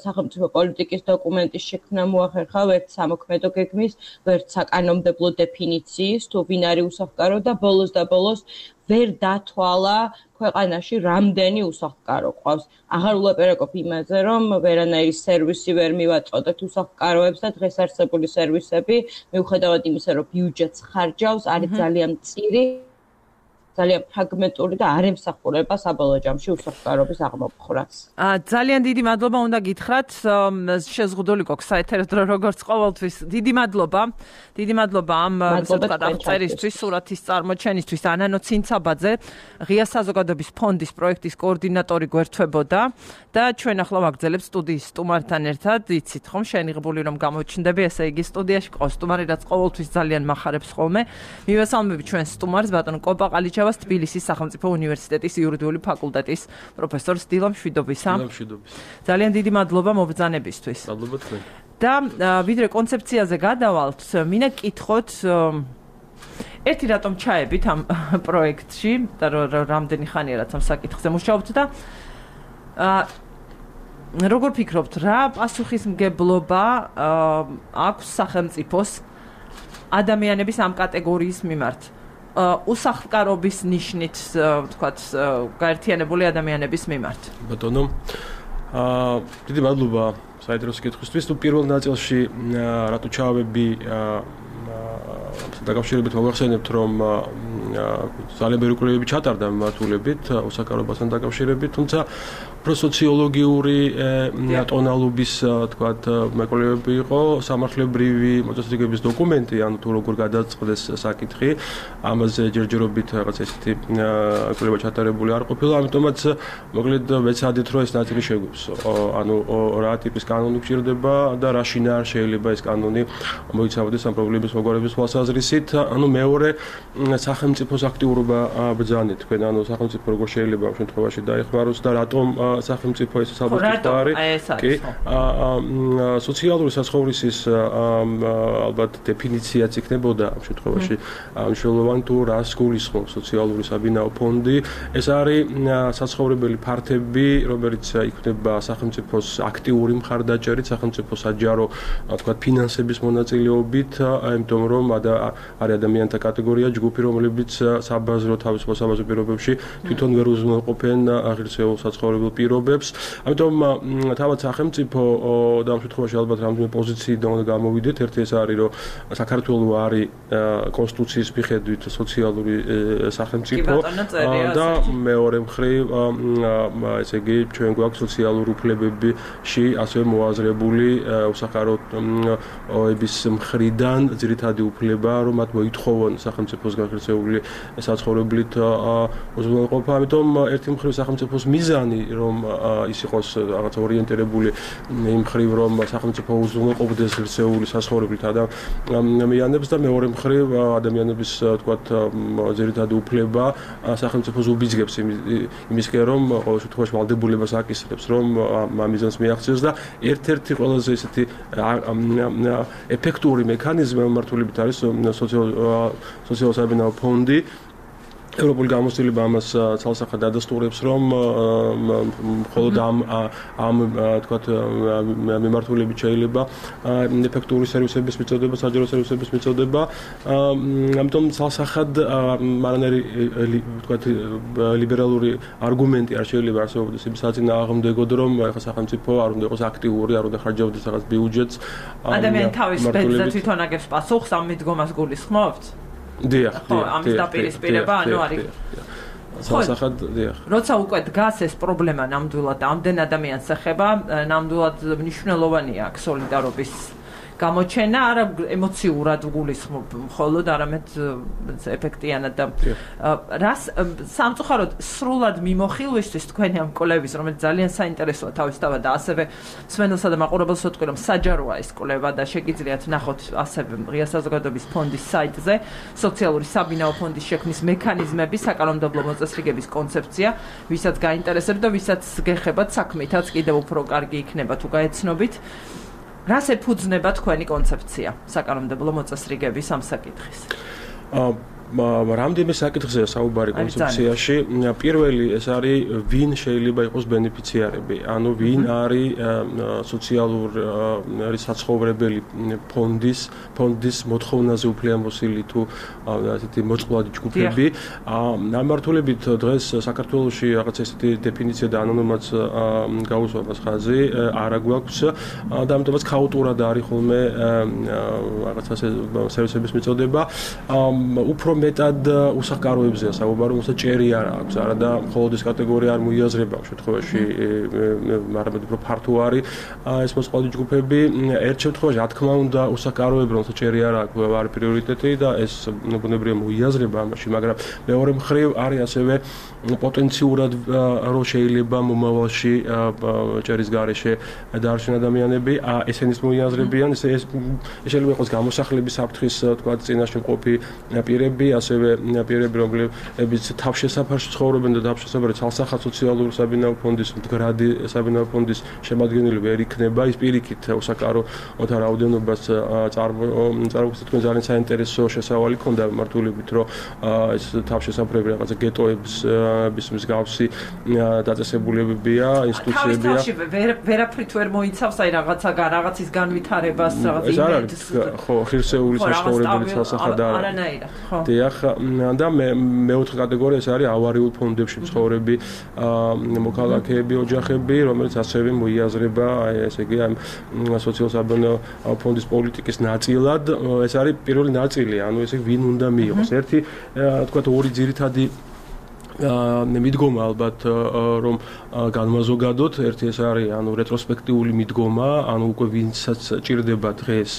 სახელმწიფო პოლიტიკის დოკუმენტის შექმნა მოახერხა, ვერც სამოქმედო გეგმის, ვერც საკანონმდებლო დეფინიციის, თუ ვინ არის უსახლკარო და ბოლოს და ბოლოს ვერ დათვალა ქვეყანაში რამდენი უსახლკარო ყავს. აღარ ულაპარაკობ იმაზე, რომ ვერანაირი სერვისი ვერ მივაწოდეთ უსახლკაროებს და დღეს არსებული სერვისები, მიუხედავად იმისა, რომ ბიუჯეტს ხარჯავს, არის ძალიან მწირი, ძალიან ფრაგმენტული და არ ემსახურება საბოლოო ჯამში უსახლკარობის აღმოფხვრას. ძალიან დიდი მადლობა უნდა გითხრათ. შეზღუდული გვაქვს საეთერო დრო როგორც ყოველთვის. დიდი მადლობა. დიდი მადლობა ამ აღწერისთვის, სურათის წარმოჩენისთვის. ანანო ცინცაბაძე, ღია საზოგადოების ფონდის პროექტის კოორდინატორი გვერდთვებოდა და ჩვენ ახლა ვაგრძელებთ სტუდიის სტუმართან ერთად. იცით ხომ შენიღებული რომ გამოჩნდები, ესე იგი სტუდიაში ყავს სტუმარი, რაც ყოველთვის ძალიან მახარებს ხოლმე. მივესალმები ჩვენ სტუმარს ბატონ კოპაყალიჩა თბილისის სახელმწიფო უნივერსიტეტის იურიდიული ფაკულტეტის პროფესორს დილამ შვიდობისა. დილამ შვიდობის. ძალიან დიდი მადლობა მობრძანებისთვის. მადლობა თქვენ. და ვიდრე კონცეფციაზე გადავალთ, მინდა გკითხოთ ერთი რატომ ჩაებით ამ პროექტში და რამდენი ხანია რაც ამ საკითხზე მუშაობთ და როგორ ფიქრობთ, რა პასუხისმგებლობა აქვს სახელმწიფოს ადამიანების ამ კატეგორიის მიმართ? უსახლკარობის ნიშნით, ვთქვათ, გაერთიანებული ადამიანების მიმართ. ბატონო, აა დიდი მადლობა საინტერესო კითხვისთვის. თუ პირველ ნაწილში რატო ჩავები დაკავშირებით მოგახსენებთ, რომ ძალიან ბევრი კვლევები ჩატარდა მიმართულებით უსახლკარობასთან დაკავშირებით, თუმცა უფრო სოციოლოგიური ტონალობის, თქვათ, მეკვლევები იყო, სამართლებრივი მოწესრიგების დოკუმენტი, ანუ თუ როგორ გადაწყდეს საკითხი, ამაზე ჯერჯერობით რაღაც ესეთი კვლევა ჩატარებული არ ყოფილა, ამიტომაც მოკლედ ვეცადეთ, რომ ეს ნაწილი შეგვიქვს. ანუ რა ტიპის კანონი გვჭირდება და რა შინაარს შეიძლება ეს კანონი მოიცავდეს ამ პრობლემის მოგვარების თვალსაზრისით. ანუ მეორე სახელმწიფოს აქტიურობა ბრძანეთ თქვენ, ანუ სახელმწიფო როგორ შეიძლება ამ შემთხვევაში დაეხმაროს და რატომ სახელმწიფო ეს საბუთი არის. კი, სოციალური საცხოვრისის ალბათ დეფინიციაც იქნებოდა ამ შემთხვევაში მნიშვნელოვანი თუ რას გულისხმობს სოციალური საბინაო ფონდი. ეს არის საცხოვრებელი ფართები, რომელიც იქნება სახელმწიფოს აქტიური მხარდაჭერით, სახელმწიფოს საჯარო, თქვათ, ფინანსების მონაწილეობით, იმიტომ რომ არის ადამიანთა კატეგორია, ჯგუფი, რომლებიც საბაზრო თავისუფალ საბაზრო პირობებში თვითონ ვერ უზრუნველყოფენ აღირსეულ საცხოვრებელ პირობებს. ამიტომ თავად სახელმწიფო და ამ შემთხვევაში ალბათ რამდენიმე პოზიციიდან უნდა გამოვიდეთ. ერთი ეს არის, რომ საქართველო არის კონსტიტუციის მიხედვით სოციალური სახელმწიფო და მეორე მხრივ ესე იგი ჩვენ გვაქვს სოციალური უფლებებში ასევე მოაზრებული უსახლკაროების მხრიდან ძირითადი უფლება, რომ მათ მოითხოვონ სახელმწიფოს განხორციელებული საცხოვრებლით უზრუნველყოფა. ამიტომ ერთი მხრივ სახელმწიფოს მიზანი, რომ ის იყოს რაღაც ორიენტირებული იმ მხრივ, რომ სახელმწიფო უზრუნველყოფდეს ღირსეული საცხოვრებლით ადამიანებს და მეორე მხრივ ადამიანების, თქვათ, ძირითადი უფლება სახელმწიფოს უბიძგებს იმისკენ, რომ ყოველ შემთხვევაში ვალდებულებას აკისრებს, რომ ამ მიზანს მიაღწიოს და ერთ-ერთი ყველაზე ესეთი ეფექტური მექანიზმი მიმართულებით არის სოციალურ საბინაო ფონდი. ევროპული გამოცდილება ამას ცალსახად ადასტურებს, რომ მხოლოდ ამ ამ თქვათ მიმართულებით შეიძლება ეფექტური სერვისების მიწოდება, საჯარო სერვისების მიწოდება. ამიტომ ცალსახად მანერი თქვათ ლიბერალური არგუმენტი არ შეიძლება არსებობდეს იმ საწინააღმდეგოდ, რომ ახლა სახელმწიფო არ უნდა იყოს აქტიური, არ უნდა ხარჯავდეს რაღაც ბიუჯეტს. ადამიანი თავის ბედზე თვითონ აგებს პასუხს ამ მიდგომას გულისხმობთ? დიახ, დიახ. ამის დაპირისპირება, ანუ არის. სასახად, დიახ. როცა უკვე დგას ეს პრობლემა ნამდვილად ამდენ ადამიანს ეხება, ნამდვილად მნიშვნელოვანია აქ სოლიდარობის გამოჩენა, არა ემოციურად გულისხმობ, მხოლოდ არამედ ეფექტიანად და რას სამწუხაროდ სრულად მიმოხილვისთვის თქვენი ამ კვლევის, რომელიც ძალიან საინტერესოა თავისთავად და ასევე მსმენელსა და მაყურებელს ვიტყვი, რომ საჯაროა ეს კვლევა და შეგიძლიათ ნახოთ ასევე ღია საზოგადოების ფონდის საიტზე სოციალური საბინაო ფონდის შექმნის მექანიზმები, საკანონმდებლო მოწესრიგების კონცეფცია, ვისაც გაინტერესებთ და ვისაც გეხებათ საქმითაც კიდევ უფრო კარგი იქნება თუ გაეცნობით. რას ეფუძნება თქვენი კონცეფცია საკანონმდებლო მოწესრიგების ამ საკითხის? რამდენიმე საკითხზეა საუბარი კონცეფციაში. პირველი ეს არის ვინ შეიძლება იყოს ბენეფიციარები, ანუ ვინ არის სოციალური საცხოვრებელი ფონდის ფონდის მოთხოვნაზე უფლებამოსილი თუ ასეთი მოწყვლადი ჯგუფები. ნამართულებით დღეს საქართველოში რაღაც ესეთი დეფინიცია და ანონიმაც გაუსვამას ხაზი არა გვაქვს და ამიტომაც ქაოტურად არის ხოლმე რაღაცა სერვისების მიწოდება. უფრო მეტად უსახკაროებზეა საუბარი, უბრალოდ ჭერი არ აქვს, არა და მხოლოდ ეს კატეგორია არ მოიაზრება ამ შემთხვევაში, მაგრამ უფრო ფართო არის ეს მოწყვლადი ჯგუფები. ერთ შემთხვევაში, რა თქმა უნდა, უსახკაროები, რომელსაც ჭერი არ აქვს, არის პრიორიტეტი და ეს ბუნებრივია მოიაზრება ამაში, მაგრამ მეორე მხრივ არის ასევე პოტენციურად რო შეიძლება მომავალში ჭერის გარეშე დაარჩენ ადამიანები, ესენის მოიაზრებიან, ეს ეს შეიძლება იყოს გამოსახლების საფრთხის, თქვა, წინაშე მყოფი პირები, ასევე პირები, რომლებიც თავშესაფარში ცხოვრობენ და თავშესაფარი ცალსახად სოციალური საბინაო ფონდის მდგრადი საბინაო ფონდის შემადგენელი ვერ იქნება, ის პირიქით უსაკაროთა რაოდენობას წარმოგვიდგენს თქვენ ძალიან საინტერესო შესავალი ქონდა მართულებით, რომ ეს თავშესაფრები რაღაცა გეტოების ის მსგავსი დაწესებულებებია, ინსტიტუციებია. თავის ვერაფრით ვერ მოიცავს, აი რაღაცა რაღაცის განვითარებას, რაღაც იმედს. ხო, ღირსეული საშუალებებით სასახად არა. არანაირად, ხო. დიახ, და მეოთხე კატეგორია ეს არის ავარიულ ფონდებში მცხოვრები მოქალაქეები, ოჯახები, რომელიც ასევე მოიაზრება, ესე იგი, ამ სოციალურ-საბანაო ფონდის პოლიტიკის ნაწილად. ეს არის პირველი ნაწილი, ანუ ესე იგი, ვინ უნდა მიიღოს. ერთი, თქვა, ორი ძირითადი მიდგომა ალბათ რომ განმაზოგადოთ, ერთი ეს არის ანუ რეტროსპექტიული მიდგომა, ანუ უკვე ვინცაც ჭირდება დღეს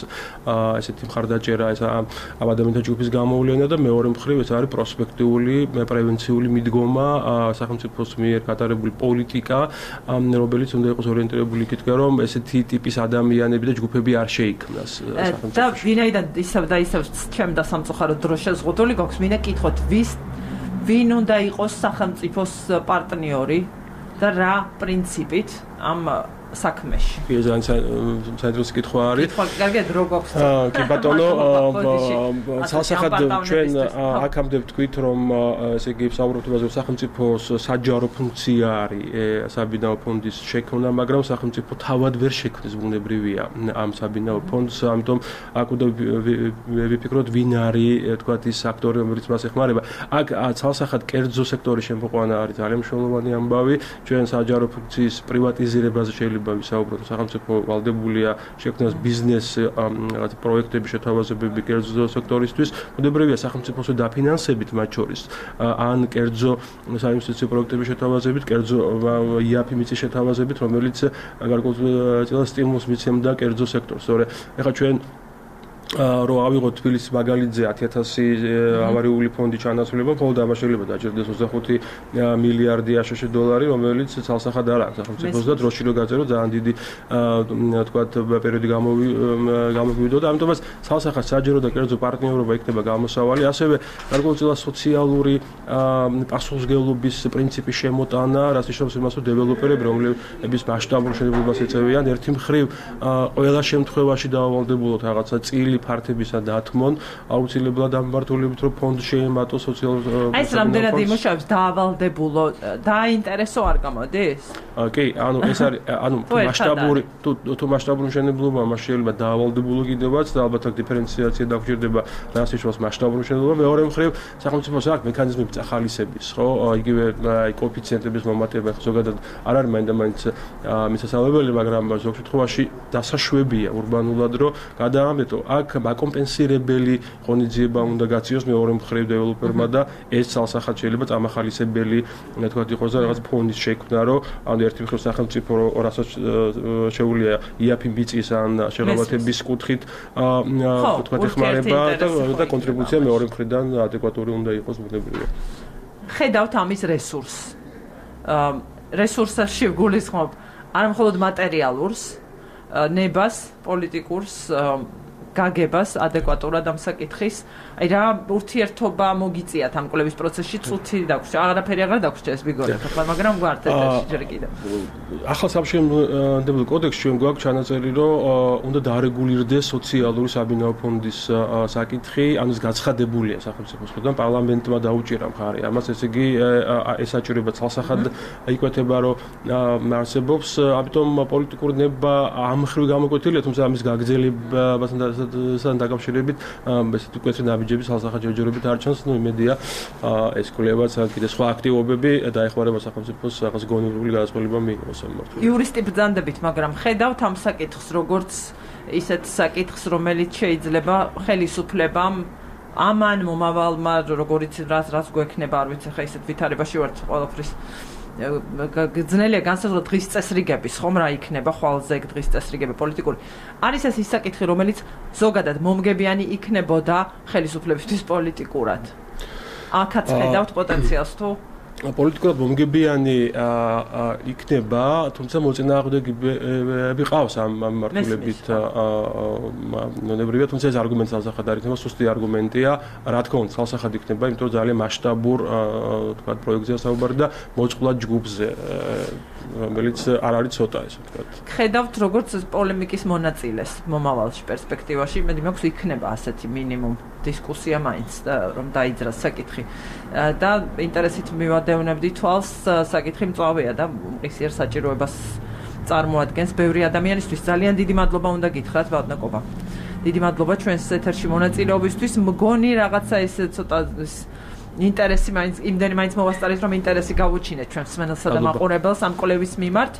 ესეთი მხარდაჭერა ეს ამ ადამიანთა ჯგუფის გამოვლენა და მეორე მხრივ ეს არის პროსპექტიული პრევენციული მიდგომა სახელმწიფოს მიერ გატარებული პოლიტიკა, რომელიც უნდა იყოს ორიენტირებული იქითკენ რომ ესეთი ტიპის ადამიანები და ჯგუფები არ შეიქმნას სახელმწიფოში. და ვინაიდან ისევ და ისევ ჩემ და სამწუხაროდ დრო შეზღუდული გვაქვს, მინდა კითხოთ ვის ვინ უნდა იყოს სახელმწიფოს პარტნიორი და რა პრინციპით ამ საქმეში. კი, ძალიან საინტერესო კითხვა არის. კითხვა კარგად რო გვაქვს. კი ბატონო, ცალსახად ჩვენ აქამდე ვთქვით, რომ ესე იგი საუბრობთ იმაზე, რომ სახელმწიფოს საჯარო ფუნქცია არის საბინაო ფონდის შექმნა, მაგრამ სახელმწიფო თავად ვერ შექმნის ბუნებრივია ამ საბინაო ფონდს, ამიტომ აქ უნდა ვიფიქროთ, ვინ არის, თქვათ, ის აქტორი, რომელიც მას ეხმარება. აქ ცალსახად კერძო სექტორის შემოყვანა არის ძალიან მნიშვნელოვანი ამბავი, ჩვენ საჯარო ფუნქციის პრივატიზირებაზე შეიძლება ვისაუბროთ, სახელმწიფო ვალდებულია შექმნას ბიზნეს რაღაც პროექტების შეთავაზებები კერძო სექტორისთვის, ბუნებრივია სახელმწიფოს დაფინანსებით მათ შორის ან კერძო საინვესტიციო პროექტების შეთავაზებით, კერძო იაფი მიწის შეთავაზებით, რომელიც გარკვეულ სტიმულს მიცემდა კერძო სექტორს. სწორედ ეხლა ჩვენ რო ავიღოთ თბილისის მაგალითზე ათი ათასი ავარიული ფონდი ჩანაცვლება, მხოლოდ ამას შეიძლება დაჭერდეს ოცდახუთი მილიარდი აშშ დოლარი, რომელიც ცალსახად არ აქვს სახელმწიფოს და დროში რო გაწერო ძალიან დიდი თქვათ პერიოდი გამოგვიდო და ამიტომაც ცალსახად საჯარო და კერძო პარტნიორობა იქნება გამოსავალი, ასევე გარკვეულწილად სოციალური პასუხისმგებლობის პრინციპის შემოტანა, რაც ნიშნავს იმას, რომ დეველოპერები, რომლებიც მასშტაბურ მშენებლობას ეწევიან, ერთი მხრივ ყველა შემთხვევაში დაავალდებულოთ რაღაცა წილი ფართებისა დათმონ, აუცილებლად ამბართულებით რომ ფონდ შეემატოს სოციალურ აი ეს რამდენად იმუშავებს დაავალდებულო, დაინტერესო არ გამოდის? კი, ანუ ეს არის, ანუ მასშტაბური თუ თუ მასშტაბური მშენებლობა, მას შეიძლება დაავალდებულო კიდევაც და ალბათ აქ დიფერენციაცია დაგჭირდება, რაც ნიშნავს მასშტაბური მშენებლობა. მეორე მხრივ, სახელმწიფოს აქვს მექანიზმები წახალისების, ხო? იგივე აი კოეფიციენტების მომატება, ზოგადად არ არის მაინდა-მაინც მისასალმებელი, მაგრამ ზოგ შემთხვევაში დასაშვებია ურბანულად, რომ გადაამეტო აქ აკომპენსირებელი ღონისძიება უნდა გაციოს მეორე მხრივ დეველოპერმა და ეს ცალსახად შეიძლება წამახალისებელი, თქვათ, იყოს და რაღაც ფონდის შექმნა, რომ ანუ ერთი მხრივ სახელმწიფო რასაც შეუძლია იაფი მიწის ან შეღავათების კუთხით თქვათ ეხმარება და კონტრიბუცია მეორე მხრიდან ადეკვატური უნდა იყოს ბუნებრივია. ხედავთ ამის რესურსს. რესურსებში გულისხმობ არა მხოლოდ მატერიალურს, ნებას, პოლიტიკურს, გაგებას ადეკვატურად ამ საკითხის. აი რა ურთიერთობა მოგიწიათ ამ კვლევის პროცესში, წუთი დაგვრჩა, აღარაფერი აღარ დაგვრჩა ეს ბიგორი, მაგრამ გვართ ეთერში ჯერ კიდევ. ახალ სამშენებლო კოდექსში ჩვენ გვაქვს ჩანაწერი, რომ უნდა დაარეგულირდეს სოციალური საბინაო ფონდის საკითხი, ანუ ეს გაცხადებულია სახელმწიფოს მხრიდან, პარლამენტმა დაუჭირა მხარი. ამას ესე იგი ეს საჭიროება ცალსახად იკვეთება, რომ არსებობს, ამიტომ პოლიტიკური ნება ამ ხრივ გამოკვეთილია, თუმცა ამის გაგრძელებასთან დაკავშირებით ესეთი მკვეთრი ნაბიჯები ცალსახად ჯერჯერობით არ ჩანს, ნუ იმედია ეს კვლევაც კიდე სხვა აქტივობები დაეხმარება სახელმწიფოს რაღაც გონივრული გადაწყვეტილება მიიღოს ამ მიმართულებით. იურისტი ბრძანდებით, მაგრამ ხედავთ ამ საკითხს როგორც ისეთ საკითხს, რომელიც შეიძლება ხელისუფლებამ ამან მომავალმა როგორიც რაც რაც გვექნება, არ ვიცი, ხა ისეთ ვითარებაში ვართ ყველაფრის ძნელია განსაზღვრა დღის წესრიგების, ხომ რა იქნება ხვალზე დღის წესრიგები პოლიტიკური. არის ეს ის საკითხი, რომელიც ზოგადად მომგებიანი იქნებოდა ხელისუფლებისთვის პოლიტიკურად. აქაც ხედავთ პოტენციალს თუ პოლიტიკურად მომგებიანი იქნება, თუმცა მოწინააღმდეგეები ყავს ამ მიმართულებით ნებრივია, თუმცა ეს არგუმენტი ცალსახად არ იქნება, სუსტი არგუმენტია, რა თქმა უნდა, ცალსახად იქნება, იმიტომ რომ ძალიან მასშტაბურ თქვა პროექტზეა საუბარი და მოწყვლად ჯგუფზე, რომელიც არ არის ცოტა ესე ვთქვა. ხედავთ როგორც პოლემიკის მონაწილეს მომავალში პერსპექტივაში, მე მაქვს იქნება ასეთი მინიმუმ დისკუსია მაინც და რომ დაიძრას საკითხი და ინტერესით მივადევნებდი თვალს საკითხი მწვავეა და მყისიერ საჭიროებას წარმოადგენს ბევრი ადამიანისთვის. ძალიან დიდი მადლობა უნდა გითხრათ ბატონო. დიდი მადლობა ჩვენს ეთერში მონაწილეობისთვის. მგონი რაღაცა ეს ცოტა ინტერესი მაინც იმდენი მაინც მოვასწარეთ რომ ინტერესი გავუჩინეთ ჩვენ მსმენელსა და მაყურებელს ამ კვლევის მიმართ.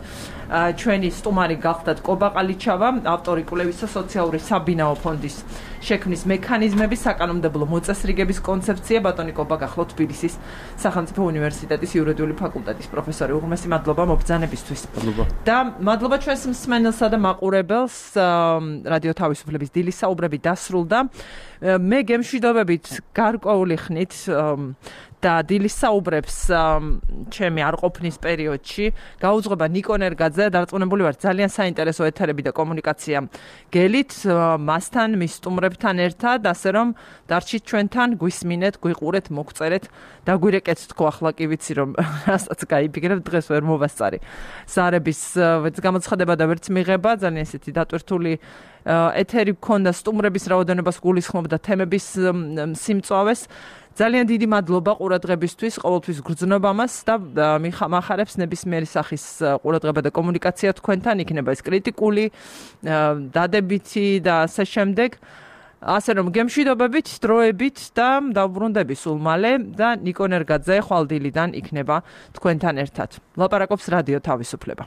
ჩვენი სტუმარი გახდათ კობა ყალიჩავა, ავტორი კვლევისა სოციალური საბინაო ფონდის შექმნის მექანიზმების საკანონმდებლო მოწესრიგების კონცეფცია. ბატონი კობა გახლავთ თბილისის სახელმწიფო უნივერსიტეტის იურიდიული ფაკულტეტის პროფესორი. უღრმესი მადლობა მობრძანებისთვის. მადლობა. და მადლობა ჩვენს მსმენელსა და მაყურებელს. რადიო თავისუფლების დილის საუბრები დასრულდა. მე გემშვიდობებით გარკვეული ხნით და დილის საუბრებს ჩემი არყოფნის პერიოდში გაუძღვება ნიკო ნერგაძე. დარწმუნებული ვარ ძალიან საინტერესო ეთერები და კომუნიკაცია გელით მასთან, მის სტუმრებთან ერთად, ასე რომ დარჩით ჩვენთან, გვისმინეთ, გვიყურეთ, მოგწერეთ და გვირეკეთ თქო, ახლა კი ვიცი რომ რასაც გაიფიქრებ, დღეს ვერ მოვასწარი. ზარების გამოცხადება და ვერც მიღება, ძალიან ესეთი დატვირთული ეთერი გქონდა, სტუმრების რაოდენობას გულისხმობდა, თემების სიმწვავეს. ძალიან დიდი მადლობა ყურადღებისთვის, ყოველთვის გრძნობა მას და მახარებს ნებისმიერი სახის ყურადღება და კომუნიკაცია თქვენთან, იქნება ეს კრიტიკული, დადებითი და ასე შემდეგ. ასე რომ გემშვიდობებით, დროებით და დავბრუნდები სულ მალე და ნიკო ნერგაძე ხვალდილიდან იქნება თქვენთან ერთად. ლაპარაკობს რადიო თავისუფლება.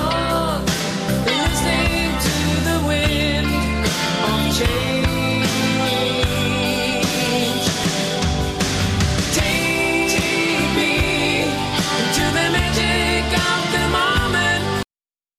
Oh